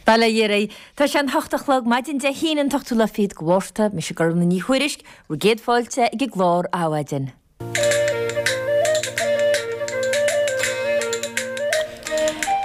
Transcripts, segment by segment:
Bail ó Dhia oraibh. Tá sé an hocht a chlog maidin Dé hAoine an t-ochtú lá fichead de Mhárta. Mise Gormfhlaith Ní Thuairisg, bhur gcéad fáilte ag an gclár Adhmhaidin.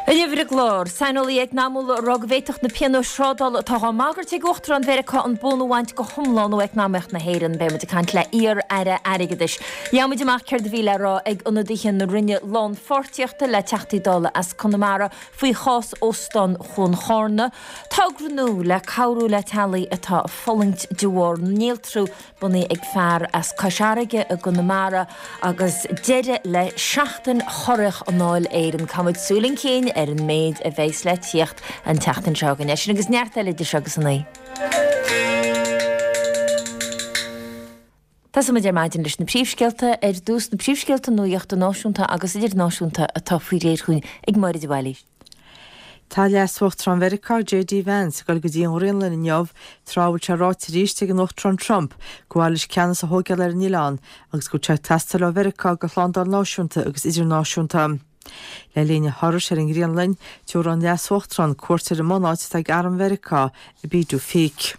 Inniu ar an gclár, saineolaithe eacnamúla ag rá go bhféadfadh na pionóis thrádála atá á mbagairt ag Uachtarán Mheiriceá an bonn a bhaint go hiomlán ó eacnamaíocht na hÉireann. Beidh muid ag caint le iar-aire airgeadais. Gheobhaidh muid amach céard a bhí le rá ag ionadaithe na Roinne Lánpháirtíochta le Teachtaí Dála as Conamara faoi chás Óstán Chuan Charna, togra nua le cabhrú le teaghlaigh atá ag fulaingt de bharr néaltrú bunaithe ag fear as Cois Fharraige i gConamara agus deireadh le Seachtain Chorraitheach i nDáil Éireann. Caithfidh muid súil chun cinn ar an méid a bheas le tíocht an tseachtain seo chugainn. É sin agus neart eile idir seo agus a naoi. Tosóidh muid ar maidin leis na príomhscéalta. Ar dtús, na príomhscéalta nuachta náisiúnta agus idirnáisiúnta atá faoi réir chugainn ag Máire de Bhailís. Tá Leas-Uachtarán Mheiriceá, JD Vance, ag dul go dtí an Ghraonlainn inniu, tráth a bhfuil sé ráite arís ag an Uachtarán Trump gur mhaith leis ceannas a thóigeáil ar an oileán agus go bhfuil sé ag teastáil ó Mheiriceá do shlándáil náisiúnta agus idirnáisiúnta. Le linn a thurais ar an nGraonlainn, tabharfaidh an Leas-Uachtarán cuairt ar an mbunáit atá ag Arm Mheiriceá i bPituffik.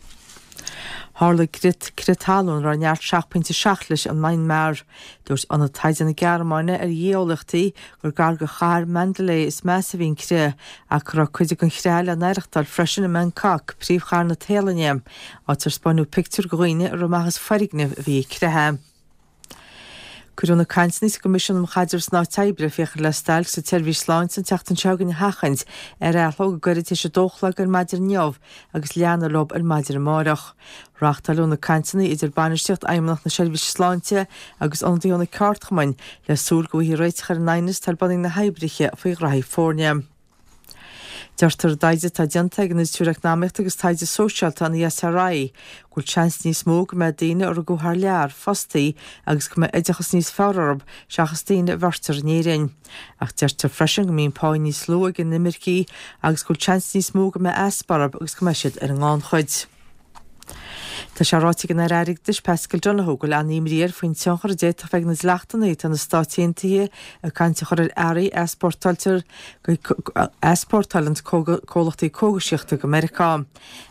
Tharla crith talún a raibh neart 7.7 leis i Myanmar. Dúirt Ionad Taighde na Gearmáine ar Ghéoeolaíochtaí gur gar do chathair Mandalay is measa a bhí an crith, ach go raibh cuid den chrith le n-aireachtáil freisin i mBangkok, príomhchathair na Téalainne, áit ar 'spáineadh pictiúir de dhaoine ag rith amach as foirgnimh a bhí ag creathadh. Cuireadh na cainteanna sa gCoimisiún um Chaidreamh san Áit Oibre féachaint le stailc sa tseirbhís sláinte an tseachtain seo chugainn a sheachaint ar athló go gairid tar éis a dó a chlog ar maidin inniu agus leanadh leo ar maidin amárach. Reáchtáileadh na cainteanna idir bainistíocht Fheidhmeannacht na Seirbhíse Sláinte agus ionadaithe ó na ceardchumainn le súil go bhfaighfí réiteach ar an aighneas atá ar bun ag na hoibrithe faoi ghraithí foirne. Deirtear i dtaighde atá déanta ag an Institiúid Eacnamaíochta agus Taighde Sóisialta, an ESRI, go bhfuil seans níos mó go mbeidh daoine a rugadh thar lear fostaithe agus go mbeidh oideachas níos fearr orthu seachas daoine a bheirtear in Éirinn. Ach deirtear freisin go mbíonn pá níos lú ag inimircigh agus go bhfuil seans níos mó go mbeidh easpa orthu agus go mbeidh siad ar an ngannchuid. Tá sé ráite ag an Aire Airgeadais Paschal Donohoe go bhfuil an-imní air faoin tionchar a d'fhéadfadh bheith ag na dleachtanna atá na Stáit Aontaithe ag caint a chur ar earraí a easpórtáiltear a easpórtáileann comhlachtaí cógaisíochta go Meiriceá.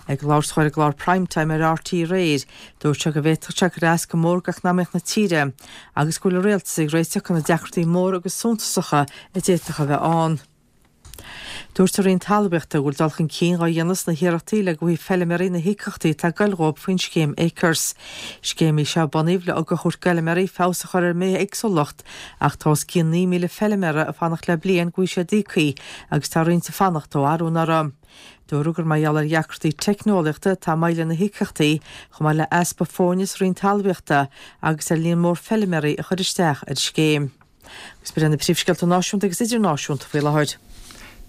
Ag labhairt dó ar an gclár Prime Time ar RTÉ aréir, dúirt sé go bhféadfadh sé cur as go mór d'eacnamaíocht na tíre agus go bhfuil an rialtas ag réiteach do na deacrachtaí móra agus suntasacha a d'fhéadfadh a bheith ann. Dúirt an Roinn Talmhaíochta go bhfuil dul chun cinn dhá dhéanamh sna hiarrachtaí le go bhfaighidh feilméaraí na híocaíochtaí atá ag goil dhóibh faoin scéim Acres. Scéim í seo a bunaíodh le ugach a thabhairt d'fheilméaraí feabhas a chur ar an mbithéagsúlacht ach tá os cionn 9,000 feilméara ag fanacht le bliain go bhfaighidh siad íoctha agus tá roinnt ag fanacht ó arú anuraidh. Dúradh gur mar gheall ar dheacrachtaí teicneolaíochta atá moill ar na híocaíochtaí chomh maith le easpa foirne sa Roinn Talmhaíochta agus ar líon mór feilméaraí a chuir isteach ar an scéim. Agus b'in iad na príomhscéalta náisiúnta agus idirnáisiúnta faoi láthair.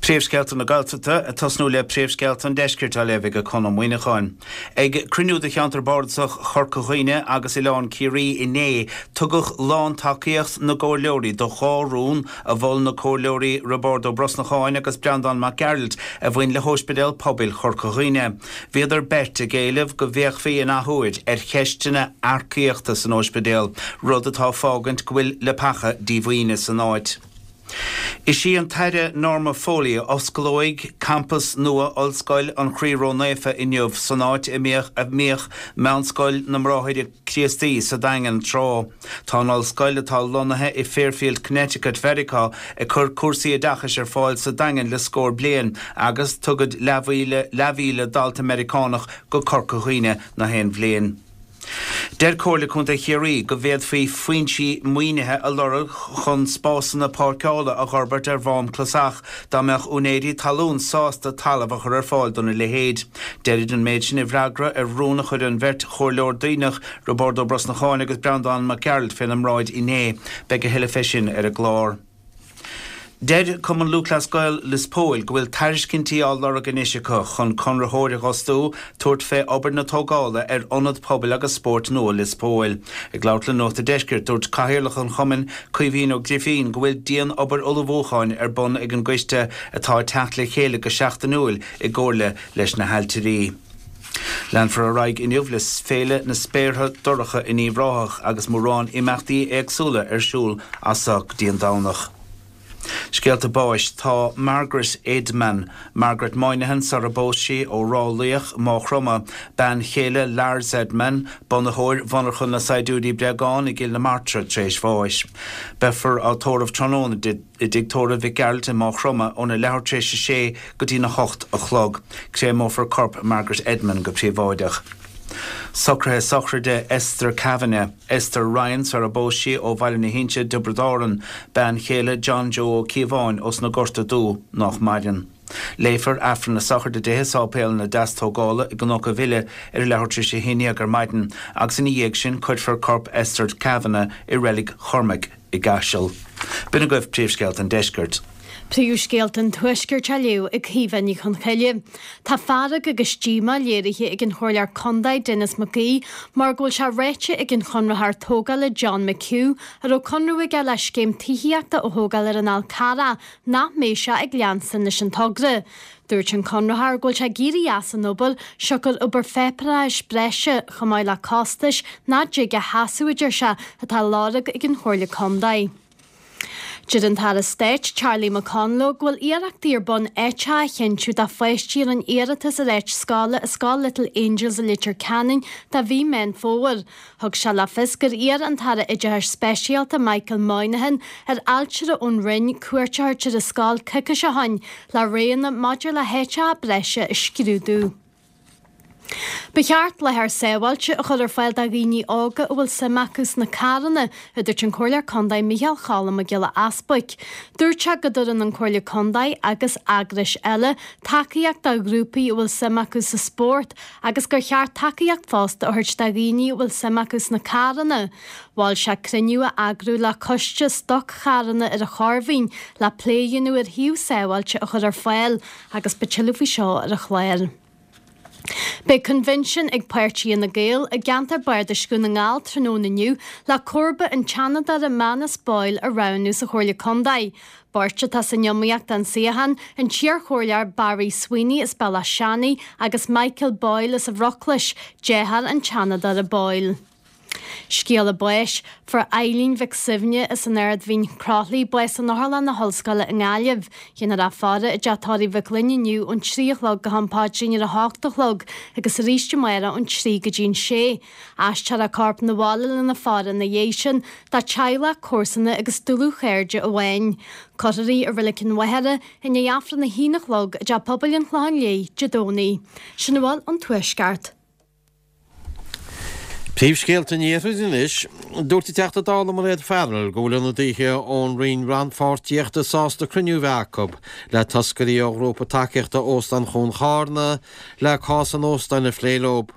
Príomhscéalta na Gaeltachta, ag tosnú le príomhscéalta an Deiscirt á léamh ag Conn Ó Muíneacháin. Ag cruinniú de Cheantar Bardasach Chorca Dhuibhne agus Oileán Ciarraí inné, tugadh lántacaíocht na gcomhairleoirí do dhá rún a mhol na Comhairleoirí Roibeárd Ó Brosnacháin agus Breandán Mac Gearailt a bhain le hÓispidéal Pobail Chorca Dhuibhne. Bhíodar beirt ag éileamh go bhféachfaí in athuair ar cheisteanna earcaíochta san óispidéal, rud atá ag fágaint go bhfuil leapacha díomhaoine san áit. Is í an tAire Norma Foley a osclóidh campas nua Ollscoil an Chroí Ró-Naofa inniu san áit a mbíodh Meánscoil na mBráithre Críostaí sa Daingean tráth. Tá an ollscoil, atá lonnaithe i Fairfield, Connecticut, Mheiriceá, ag cur cúrsaí oideachais ar fáil sa Daingean le scór bliain agus tugaid leathmhíle dalta Meiriceánach go Corca Dhuibhne na haon bhliain. Deir Comhairle Contae Chiarraí go bhféadfaí foinsí maoinithe a lorg chun spásanna páirceála a dh'fhorbairt ar Mhám Clasach dá mbeadh úinéirí talún sásta talamh a chur ar fáil dona leithéid. Deirid an méid sin i bhfreagra ar rún a chuir an bheirt chomhairleoir Duibhneach, Roibeárd Ó Brosnacháin agus Breandán Mac Gearailt féna mbráid inné. Beidh a thuilleadh fé sin ar an gclár. Deir Cumann Lúthchleas Gael Lios Póil go bhfuil tairiscintí á lorg anois acu chun conraitheoir a dh'fhostú tabhairt fé obair na tógála ar Ionad Pobail agus Spóirt nua Lios Póil. Ag labhairt le Nuacht a' Deiscirt, dúirt Cathaoirleach an chumainn, Caoimhín Ó Grifín, go bhfuil dian-obair ullmhúcháin ar bun ag an gcoiste atá ag teacht le chéile go seachtainiúil i gcomhairle leis na hailtirí. Leanfar ar aghaidh inniu le Féile na Spéartha Dorcha in Uíbh Ráthach agus mórán imeachtaí éagsúla ar siúl as seo go dtí an Domhnach. Scéalta báis Tá Margaret Edman, Margaret Moynihan sara bpós sí, ó Ráth Laoich, Maigh Chromtha, bean chéile Lars Edman, bunaitheoir mhonarcha na saighdiúirí bréagán i gCill na Martra, tar éis bháis. Beifear á tórramh tráthnóna di i dTigh Tórraimh Mhic Gearailt i Maigh Chromtha óna leathuair tar éis a sé go dtína hocht a chlog. Créamófar corp Margaret Edman go príobháideach. Socruithe sochraide Esther Kavanagh, Esther Ryan sara bpós sí ó Bhaile na hInse, Tiobraid Árann, bean chéile John Joe Ó Cíobháin ós na Gorta Dubha, nách maireann. Léifear Aifreann na sochraide di i Sáipéal na Deastógála i gCnoc a' Bhile ar a leathuair tar éis a haon dhéag ar maidin agus ina dhiaidh sin cuirfear corp Esther Kavanagh i Reilig Chormaic i gCaiseal. B'in agaibh príomhscéalta an deiscirt. Príomhscéalta an Tuaiscirt á léamh ag Caoimhe Ní Chonchoille. Tá fearg agus díomá léirithe ag an Chomhairleoir Contae Denis Mac Aoidh mar go bhfuil sé ráite ag an chonraitheoir tógála John McHugh, a raibh conradh aige le scéim tithíochta a thógáil ar an Fhál Carrach, nach mbeidh sé ag leanstan leis an togra. Dúirt an conraitheoir go bhfuil sé ag éirí as an obair siocair obair pháipéarachais breise chomh maith le costais nach dtig a sheasamh, a deir sé, atá á lorg ag an Chomhairle Contae. Deir an tAire Stáit Charlie McConalogue go bhfuil iarrachtaí ar bun áiteacha a chinntiú do pháistí a rinne iarratas ar áit scoile i Scoil Little Angels i Leitir Ceanainn do mhí Meán Fómhair. Thug sé le fios gur iarr an tAire Oideachais Speisialta Michael Moynihan ar ailtire ón Roinn cuairt a thabhairt ar an scoil coicís ó shin le roghanna maidir le háiteacha breise a scrúdú. Ba cheart láthair sábháilte a chur ar fáil do dhaoine óga a bhfuil suim acu sna carranna, a dúirt an Comhairleoir Contae Micheál Cholm Mac Giolla Easbuic. Dúirt sé go dtugann an Comhairle Contae agus eagrais eile tacaíocht do ghrúpaí a bhfuil suim acu sa spórt agus gur cheart tacaíocht fosta a thabhairt do dhaoine a bhfuil suim acu sna carranna. Mhol sé cruinniú a eagrú le coiste stoc-charranna ar an Chorrmhín le plé a dhéanamh ar shuíomh sábháilte a chur ar fáil agus beidh tuilleadh faoi seo ar an chlár. Beidh coinbhinsiún ag Páirtí Fhine Gael i gceantar Bardais Dhún na nGall tráthnóna inniu le comharba an tSeanadóra Manus Boyle a roghnú sa Chomhairle Contae. Beirt atá san iomaíocht don suíochán, an t-iarchomhairleoir Barry Sweeney as Bealach Seanaidh agus Michael Boyle as an Bhruclais, deartháir an tSeanadóra Boyle. Scéala báis, Fuair Eileen Mhic Suibhne as an Ard Mhín Croithlí bás in Otharlann na hOllscoile i nGaillimh. Dhéanfar í a faire i dTeach Tórraimh Mhic Fhloinn inniu ón 3 a chlog go ham paidrín ar a hocht a chlog agus arís amárach ón 3 go dtí an 6. Aistreofar a corp 'na bhaile lena faire ina dhiaidh sin do teaghlach, comharsana agus dlúthchairde amháin. Cuirfear í i Reilig an Mhachaire i ndiaidh Aifreann a haon a chlog i dTeach Pobail an Chlocháin Léith Dé Domhnaigh. Sin a bhfuil ón Tuaisceart. Príomhscéalta an Iarthair anois. Dúirt an Teachta Dála Mairéad Farrell go bhfuil ionadaithe ón Roinn Rannpháirtíochta sásta cruinniú a bheith acu le toscairí ó ghrúpa tacaíochta Óstán Chuan Charna le cás an óstáin a phlé leo.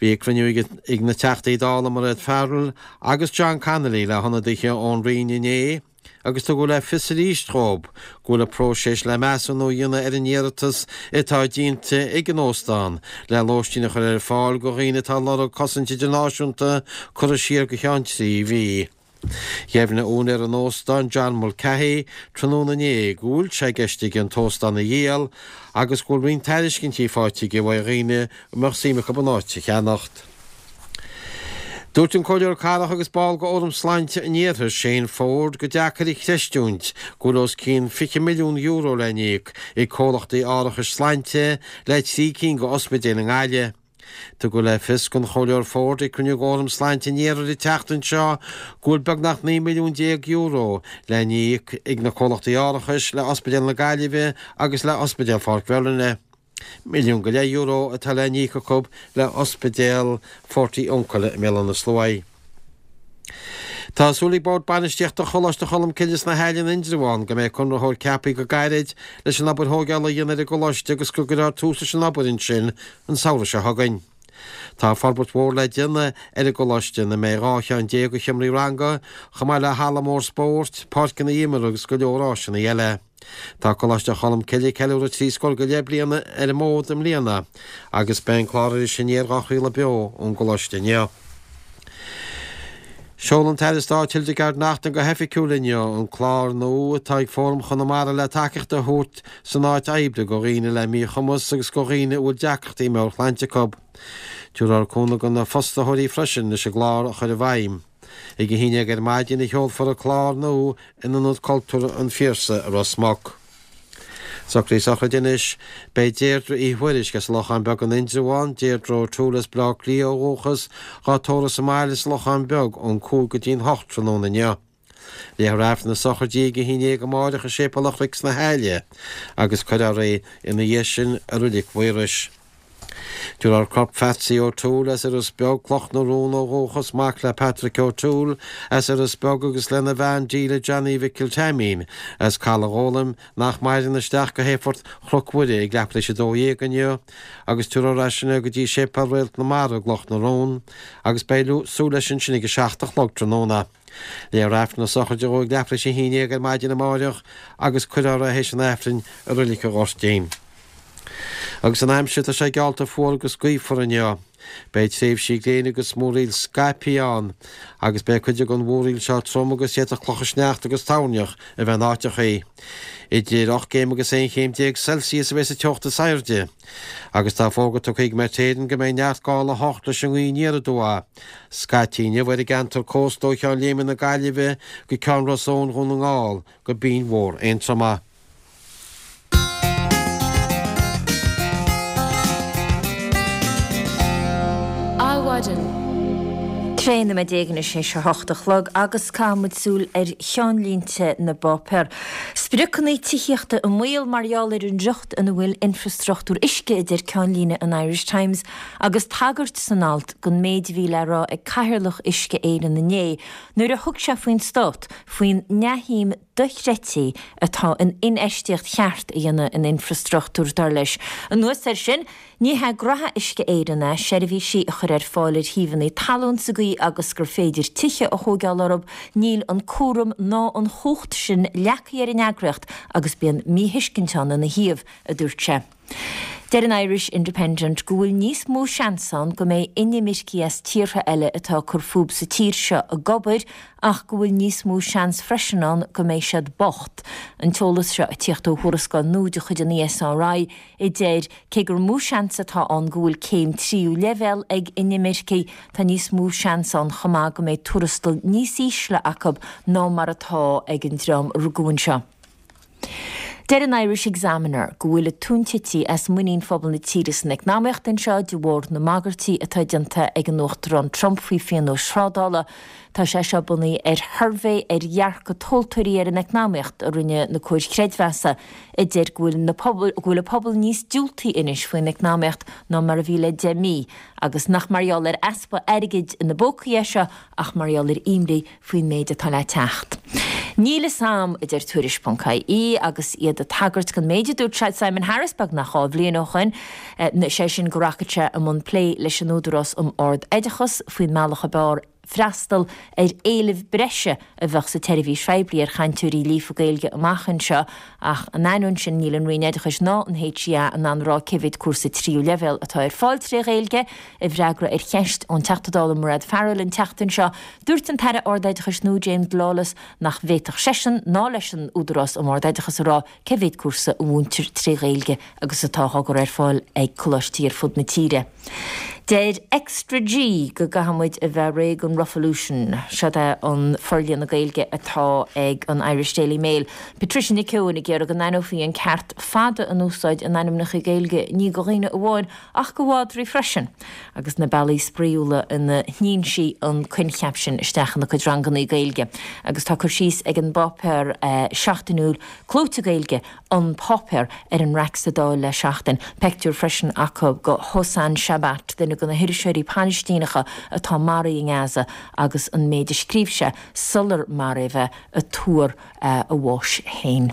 Bhí cruinniú ag na Teachtaí Dála Mairéad Farrell agus John Connolly le hionadaithe ón Roinn inné agus tugadh le fios arís dhóibh go bhfuil an próiseas le measúnú a dhéanamh ar an iarratas atá déanta ag an óstán le lóistín a chur ar fáil go dhaoine atá ag lorg cosaint idirnáisiúnta curtha siar go cheann 3 mhí. Dheimhnigh úinéir an óstáin, John Mulcahy, tráthnóna inné go bhfuil sé i gceist aige an t-óstán a dhíol agus go bhfuil roinnt tairiscintí faighte aige uaidh dhaoine a mbeadh suim acu an áit a cheannacht. Dúirt an Comhairleoir Cathrach agus ball de Fhóram Sláinte an Iarthair, Shane Forde, gur deacair a chreistiúint go bhfuil os cionn €20 milliún le n-íoc ag comhlachtaí árachais sláinte le 3 cinn de ospidéil i nGaillimh. Tugadh le fios don Chomhairleoir Forde ag cruinniú de Fhóram Sláinte an Iarthair an tseachtain seo go bhfuil beagnach €19 milliún le n-íoc ag na comhlachtaí árachais le Ospidéal na Gaillimhe agus le Ospidéal Pháirc Mheirlinne. €1.5 milliún atá le n-íoc acu le Ospidéal Phort Ioncaile i mBéal Átha na Sluaighe. Tá súil ag Bord Bainistíochta Choláiste Cholmcille sna hAille in Indreabhán go mbeidh conraitheoir ceaptha go gairid leis an obair thóigeála a dhéanamh ar an gcoláiste agus go gcuirfear tús leis an obair ansin an samhradh seo chugainn. Tá forbairt mhór le déanamh ar an gcoláiste ina mbeidh 12 cheann de sheomraí ranga, chomh maith le halla mór spóirt, páirceanna imeartha agus go leor áiseanna eile. Tá Coláiste Cholmcille ag ceiliúradh 30 scór go leith bliana ar an bhfód i mbliana agus beidh an clár Iris Aniar dhá chraoladh beo ón gcoláiste inniu. Sheol an tAire Stáit Hildegarde Naughton go hoifigiúil inniu an clár nua atá ag Fóram Chonamara le tacaíocht a thabhairt san áit oibre go dhaoine le míchumas agus go dhaoine a bhfuil deacrachtaí meabhairshláinte acu. Tabharfar cúnamh go na fostaitheoirí freisin leis an gclár a chur i bhfeidhm. Ag 11 ar maidin a sheolfar an clár nua in Ionad Cultúrtha an Phiarsaigh i Ros Muc. Socruithe sochraide anois. Beidh Deirdre Uí Thuairisg as an Lochán Beag in Indreabhán, Deirdre O'Toole as Bleá Cliath ó dhúchas, dhá tórramh sa mbaile sa Lochán Beag ón 5 go dtí'n 8 tráthnóna inniu. Léifear Aifreann na sochraide ag 11 amáireach i Séipéal an Chnoic sna hAille agus cuirfear í ina dhiaidh sin i Roilig Mhaorais. Tabharfar corp Phatsy O'Toole as Iorras Beag, Cloch na Rón ó dhúchas, mac le Patrick O'Toole as Iorras Beag agus lena bhean Delia Johnny Mhicil Teaimín as Caladh Ghólaim, nach maireann, isteach go hAerfort Chnoc Mhuire ag leathuair tar éis 12 inniu agus tabharfar as sin é go dtí Séipéal Réalt na Mara i gCloch na Rón agus beidh súil leis ansin ag 7 a chlog tráthnóna. Léifear Aifreann na sochraide dhó ag leathuair tar éis 11 ar maidin amáireach agus cuirfear é théis an Aifrinn i Roilig an Ghoirtín. Agus an aimsir, tá sé geallta fuar agus gaofar inniu. Beidh tréimhsí gréine agus múraíl scaipthe ann agus beidh cuid den mhúraíl seo trom agus d'fhéadfadh clocha sneachta agus toirneach a bheith in áiteachaí. Idir 8 gcéim agus 11 chéim Celsius a bheidh sa teocht is airde. Agus tá fógra tugtha ag Met Éireann go mbeidh neart gála 8 leis an ngaoth aniar aduaidh scaití inniu ar an gceantar cósta ó Cheann Léime na Gaillimhe go Ceann Ros Eoin Dhún na nGall go Binn Mhór Aontroma. Adhmhaidin. 13 nóiméad anois théis a hocht a chlog agus caithfidh muid súil ar cheannlínte na bpáipéar. Spriocanna tithíochta i mbaol mar gheall ar an riocht ina bhfuil infreastruchtúr uisce, a deir ceannlíne an Irish Times agus tagairt san alt don méid a bhí le rá ag Cathaoirleach Uisce Éireann inné nuair a thug sé faoin stát faoin neamhshuim dochreidte atá in infheistíocht cheart a dhéanamh in infreastruchtúr, dar leis. Anuas air sin, ní hé graithe Uisce Éireann é seirbhísí a chur ar fáil ar shuíomhanna talún sa gcaoi agus gur féidir tithe a thóigeáil orthu, níl an cúram ná an chumhacht sin leagtha ar an eagraíocht agus bíonn míthuiscint ann ina thaobh, a dúirt sé. Deir an Irish Independent go bhfuil níos mó seans ann go mbeidh inimircigh as tíortha eile atá ag cur fúthu sa tír seo ag obair ach go bhfuil níos mó seans freisin ann go mbeidh siad bocht. An t-eolas seo ag tíocht ó thuarascáil nua de chuid an ESRI a deir cé gur mó seans atá ann go bhfuil céim tríú leibhéal ag inimircigh, tá níos mó seans ann chomh maith go mbeidh tuarastal níos ísle acu ná mar atá ag an dream a rugadh anseo. Deir an Irish Examiner go bhfuil an tóin tite as muinín phobal na tíre san eacnamaíocht anseo de bharr na mbagairtí atá déanta ag an Uachtarán Trump faoi phionóis thrádála. Tá sé seo bunaithe ar shuirbhé ar dhearcadh tomhaltóirí ar an eacnamaíocht a rinne na comhair chreidmheasa a deir go bhfuil na go bhfuil an pobal níos diúltaí anois faoin eacnamaíocht ná mar a bhí le 10 mí agus nach mar gheall ar easpa airgid ina bpócaí é seo ach mar gheall ar imní faoin méid atá le teacht. Níl fhios a'm, a deir Tuairisc ponc ie, agus iad ag tagairt don méid a dúirt Simon Harris beagnach 2 bhliain ó shoin, sé sin go rachadh sé i mbun plé leis an Údarás um Ard-Oideachas faoin mbealach ab fhearr freastal ar éileamh breise a bheadh sa tseirbhís phoiblí ar chainteoirí líofa Gaeilge amach anseo. Ach in ainneoin sin, níl an Roinn Oideachais ná an HEA in ann a rá cé mhéad cúrsa tríú leibhéal atá ar fáil tré Ghaeilge. I bhfreagra ar cheist ón Teachta Dála Mairéad Farrell an tseachtain seo, dúirt an tAire Ard-Oideachais nua James Lawless nach bhféadfadh seisean ná leis an Údarás um Ard-Oideachas a rá cé mhéad cúrsa a mhúintear tré Ghaeilge agus atá á gcur ar fáil ag coláistí ar fud na tíre. Deir Extra G go gcaithfidh muid a bheith réidh don Ruffolution. Seod é an forlíonadh Gaeilge atá ag an Irish Daily Mail. Patricia Nic Eoin ag iarraidh go n-aithneofaí an ceart fada in úsáid in ainmneacha Gaeilge ní do dhaoine amháin ach do mhadraí freisin, agus na bealaí spraíúla ina shníonn sí an coincheap sin isteach ina cuid ranganna Gaeilge. Agus tá cur síos ag an bpáipéar seachtainiúil clóite Gaeilge, An Páipéar, ar an raic sa Dáil le seachtain. Peictiúr freisin acu de Hossam Shabat, duine de na hiriseoirí Palaistíneacha atá maraithe i nGaza agus an méid a scríobh sé sular maraíodh é ag tuar a bháis féin.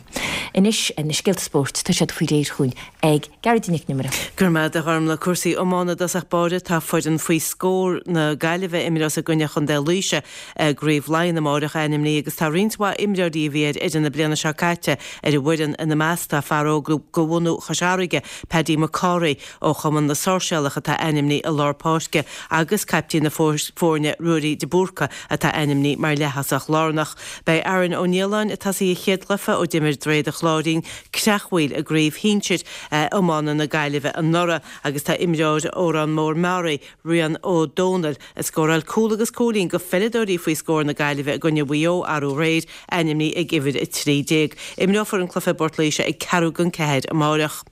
Anois, na scéalta spóirt, tá siad faoi réir chugainn ag Gearóidín Nic an Iomaire. Go raibh maith agat a Ghormlaith. Cúrsaí iomána i dtosach báire, tá foireann faoi scór na Gaillimhe a imreos i gcoinne Chontae Laoise i gCraobh Laighean amáireach ainmnithe agus tá roinnt mhaith imreoirí a bhí ar fhoireann na bliana seo caite ar an bhfoireann. Ina measc tá fear óg de bhunadh Chois Fharraige, Paddy McCorry ó Chumann na Sáirséalach atá ainmnithe. i lár páirce agus caiptín na foirne Ruairí de Búrca atá ainmnithe mar leath-thosach lárnach. Beidh Aaron Ó Nialláin ag tosaí a chéad chluiche ó d'imir Droichead an Chláirín creachmhaoil i gCraobh Shinsir Iomána na Gaillimhe anuraidh agus tá imreoir Órán Mór Meáraí, Rian Ó Dónaill, a scóráil cúl agus cúilín do pheileadóirí faoi scór na Gaillimhe i gcoinne Mhaigh Eo arú aréir, ainmnithe ag uimhir 13. Imreofar an cluiche i bPort Laoise ag ceathrú don ceathair amáireach.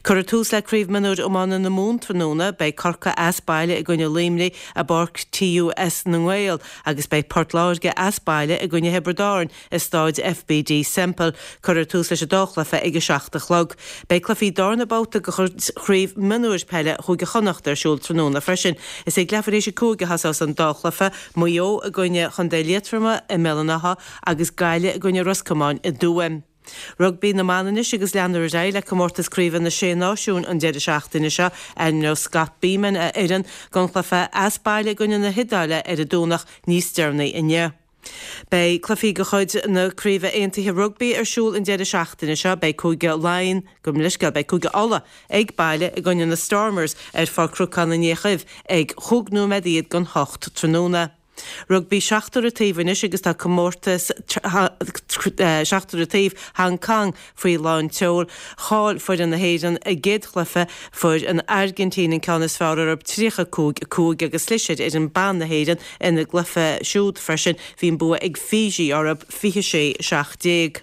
Cuirfear tús le Craobh Mionúir Iomána na Mumhan tráthnóna. Beidh Corcaigh as baile i gcoinne Luimnigh i bPáirc TUS na nGael agus beidh Port Láirge as baile i gcoinne Thiobraid Árann i Stáid FBD Semple. Cuirfear tús leis an dá chluiche ag a 7 a chlog. Beidh cluichí darna babhta de Chraobh Mionúir Peile Chúige Chonnacht ar siúl tráthnóna freisin. Is ag leathuair théis a 5 a thosós an dá chluiche, Maigh Eo i gcoinne Chontae Liatroma i mBéal an Átha agus Gaillimh i gcoinne Ros Comáin i dTuaim. Rugbaí na mban anois agus leanfar ar aghaidh le comórtas craoibhe na Sé Náisiún an deireadh seachtaine seo. Ainmneoidh Scott Bemand a fhoireann don chluiche as baile i gcoinne na hIodáile ar an Domhnach níos deireanaí inniu. Beidh cluichí de chuid na Craoibhe Aontaithe Rugbaí ar siúl an deireadh seachtaine seo. Beidh Cúige Laighean, gabh mo leithscéal, beidh Cúige Uladh ag baile i gcoinne na Stormers ar Pháirc Chnocán an Fhéich Dhuibh ag chúig nóiméad iad don hocht tráthnóna. Rugbaí seachtar an taobh anois agus tá comórtas seachtar an taobh Hong Kong faoi lán tseoil. Chaill foireann na hÉireann a gcéad chluiche, fuair an Airgintín an ceann is fearr orthu 35, 5 agus chlis ar fhoireann ban na hÉireann ina gcluiche siúd freisin. Bhí an bua ag Fiji orthu 26, 17.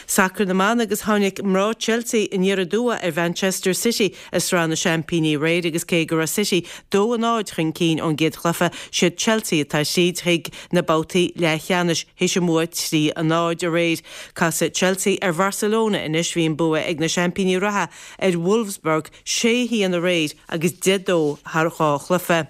Sacar na mban agus tháinig mná Chelsea aniar aduaidh ar Mhanchester City i Sraith na Seaimpíní aréir agus cé go raibh City 2, 0 chun cinn ón gcéad chluiche, siad Chelsea atá tríd chuig na babhtaí leathcheannais théis a mbua 3, 0 aréir. Casfaidh Chelsea ar Bharcelona anois, bhí an bua ag na seaimpíní reatha ar Wolfsburg 6, 1 aréir agus 10, 2 thar dhá chluiche.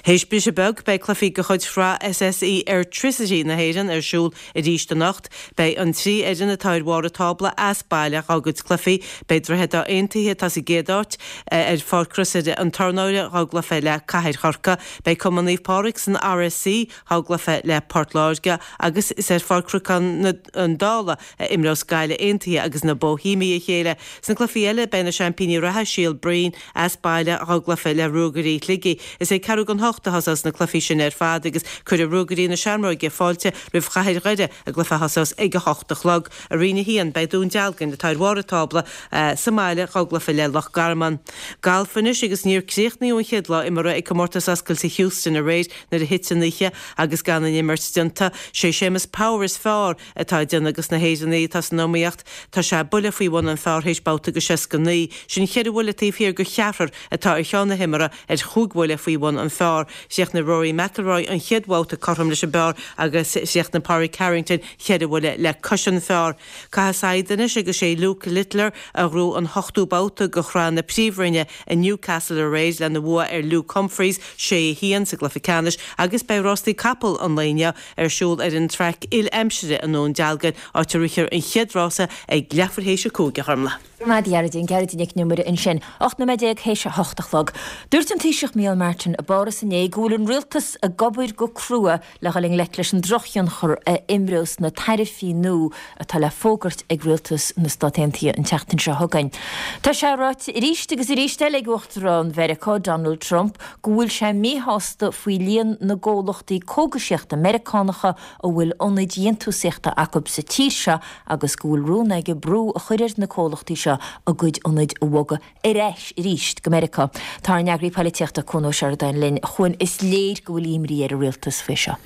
Théis briseadh beag, beidh cluichí de chuid Shraith SSE Airtricity na hÉireann ar siúl arís anocht. Beidh an trí fhoireann atá ar bharr an tábla as baile dhá gcuid cluichí. Beidh Droichead Átha Aontaithe, atá sa gcéad áit, ar Pháirc Chrosaire an Tornáire dhá gcluiche le Cathair Chorcaí. Beidh Cumann Naomh Pádraig san RSC dhá gcluiche le Port Láirge agus is ar Pháirc Chnocán an Dála a imreos Gaillimh Aontaithe agus na Boihéamaigh a chéile. Sna cluichí eile, beidh na seaimpíní reatha, Síol Bhroin, as baile dhá gcluiche le Ruagairí Shligigh. Is ag ceathrú don hocht a thosós na cluichí sin ar fad agus cuirfidh Ruagairí na Seamróige fáilte roimh Chathair Dhoire i gcluiche a thosós ag a hocht a chlog. I Roinn 1, beidh Dún Dealgan, atá ar bharr an tábla, sa mbaile dhá gcluiche le Loch Garman. Galf anois agus níor críochnaíodh an chéad lá imeartha ag Comórtas Oscailte Houston aréir nuair a thit an oíche agus gan an imirt déanta. Sé Séamus Power is fearr atá ag déanamh dos na hÉireannaigh atá san iomaíocht. Tá sé buille faoi bhun an phar théis babhta de 69. Sin cheithre bhuille taobh thiar de cheathrar atá ar cheann na himeartha ar chúig bhuille faoi bhun an phar. Chríochnaigh Rory McIlroy an chéad bhabhta cothrom leis an bpar agus chríochnaigh Pádraig Harrington cheithre bhuille le cois an phar. Caitheadh saighead anois agus sé Luke Littler a ghnóthaigh an t-ochtú babhta de Shraith na Príomhroinne i Newcastle aréir lena bhua ar Luke Humphries, 6, 1, sa gcluiche ceannais agus beidh rástaí capall an lae inniu ar siúl ar an traic il-aimsire i nDún Dealgan, áit a rithfear an chéad rása ag leathuair théis a 5, a Ghormlaith. Go raibh maith agat a Ghearóidín, Gearóidín Nic Con Iomaire ansin. 18 nóiméad théis a hocht a chlog. Dúirt an Taoiseach Micheál Martin i bPáras inné go bhfuil an rialtas ag obair go crua le dhul i ngleic leis an drochthionchar a imreos na taraifí nua atá le fógairt ag rialtas na Stát Aontaithe an tseachtain seo chugainn. Tá sé ráite arís agus arís eile ag Uachtarán Mheiriceá, Donald Trump, go bhfuil sé míshásta faoi líon na gcomhlachtaí cógaisíochta Meiriceánacha a bhfuil ionaid dhéantúsaíochta acu sa tír seo agus go bhfuil rún aige brú a chur ar na comhlachtaí seo a gcuid ionaid a bhogadh ar ais arís go Meiriceá. Tá ár n-eagraí poilitíochta, Cuan Ó Seireadáin linn. A Chuain, is léir go bhfuil imní ar an rialtas faoi seo.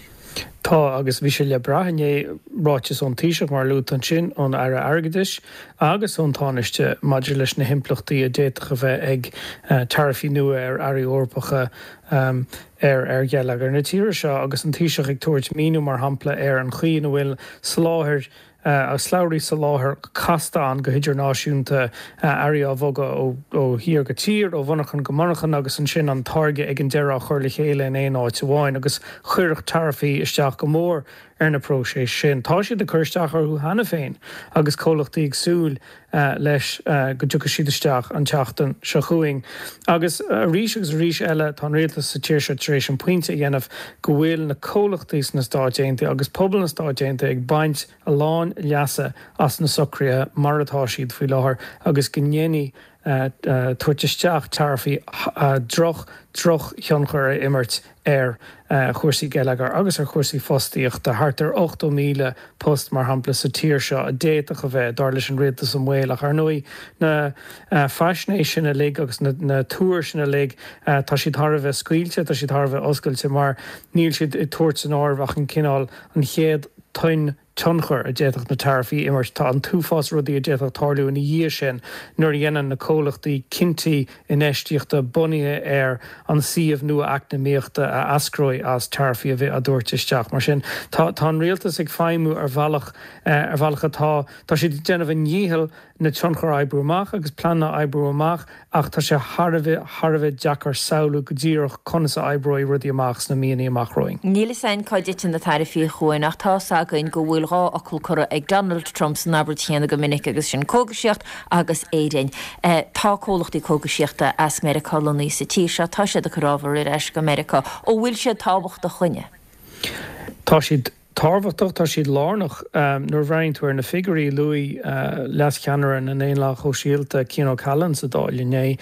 Tá, agus bhí sé le brath inné, ráiteas ón Taoiseach, mar a luaigh tú ansin, ón Aire Airgeadais agus ón Tánaiste maidir leis na himpleachtaí a d'fhéadfadh a bheith ag taraifí nua ar earraí Eorpacha ar ar gheilleagar na tíre seo agus an Taoiseach ag tabhairt míniú, mar shampla, ar an chaoi ina bhfuil soláthair agus slabhraí soláthair casta ann go hidirnáisiúnta, earraí á bhogadh ó thír go tír, ó mhonarchan go monarchan agus ansin an táirge ag an deireadh á chur le chéile in aon áit amháin agus chuirfeadh taraifí isteach go mór ar na próisis sin. Tá siad ag cur isteach orthu cheana féin agus comhlachtaí ag súil leis go dtiocfaidh siad isteach an tseachtain seo chugainn. Agus arís agus arís eile tá an rialtas sa tír seo tar éis an pointe a dhéanamh go bhfuil na comhlachtaí sna Stáit Aontaithe agus pobal na Stáit Aontaithe ag baint a lán leasa as na socruithe mar atá siad faoi láthair agus go ndéanfaidh. tabhairt isteach taraifí droch, drochthionchar a imirt ar chúrsaí geilleagair agus ar chúrsaí fostaíochta. Thart ar 80,000 post, mar shampla, sa tír seo a d'fhéadfadh a bheith, dar leis an rialtas, i mbaol. Ach ar ndóigh, na faisnéis sin uilig agus na tuair sin uilig, tá siad thar a bheith scaoilte, tá siad thar a bheith oscailte mar níl siad ag tabhairt san áireamh ach an cineál, an chéad toinn tionchar a d'fhéadfadh na taraifí a imirt. Tá an t-uafás rudaí a d'fhéadfadh tarlú ina dhiaidh sin nuair a dhéanann na comhlachtaí cinntí infheistíochta bunaithe ar an suíomh nua eacnamaíochta a eascróidh as taraifí a bheith á dtabhairt isteach. Mar sin, tá tá an rialtas ag feidhmiú ar bhealach ar bhealach atá tá siad ag déanamh a ndícheall na tionchair a oibriú amach agus pleananna a oibriú amach ach tá sé thar a bheith, thar a bheith deacair samhlú go díreach conas a oibreoidh rudaí amach sna míonna amach romhainn. Níl fhios againn cá dtiteann na taraifí a Chuain ach tá fhios againn go bhfuil 2 fhocal curtha ag Donald Trump san abairt chéanna go minic agus sin cógaisíocht agus Éirinn. Tá comhlachtaí cógaisíochta as Meiriceá lonnaithe sa tír seo, tá siad ag cur ábhar ar ais go Meiriceá. An bhfuil siad tábhachtach dhúinne? Tá siad. Tábhachtach, tá siad lárnach. Nuair a bhreathnaíonn tú ar na figiúirí, luaigh leascheannaire na nDaonlathach Shóisialta, Cian O'Callaghan sa Dáil inné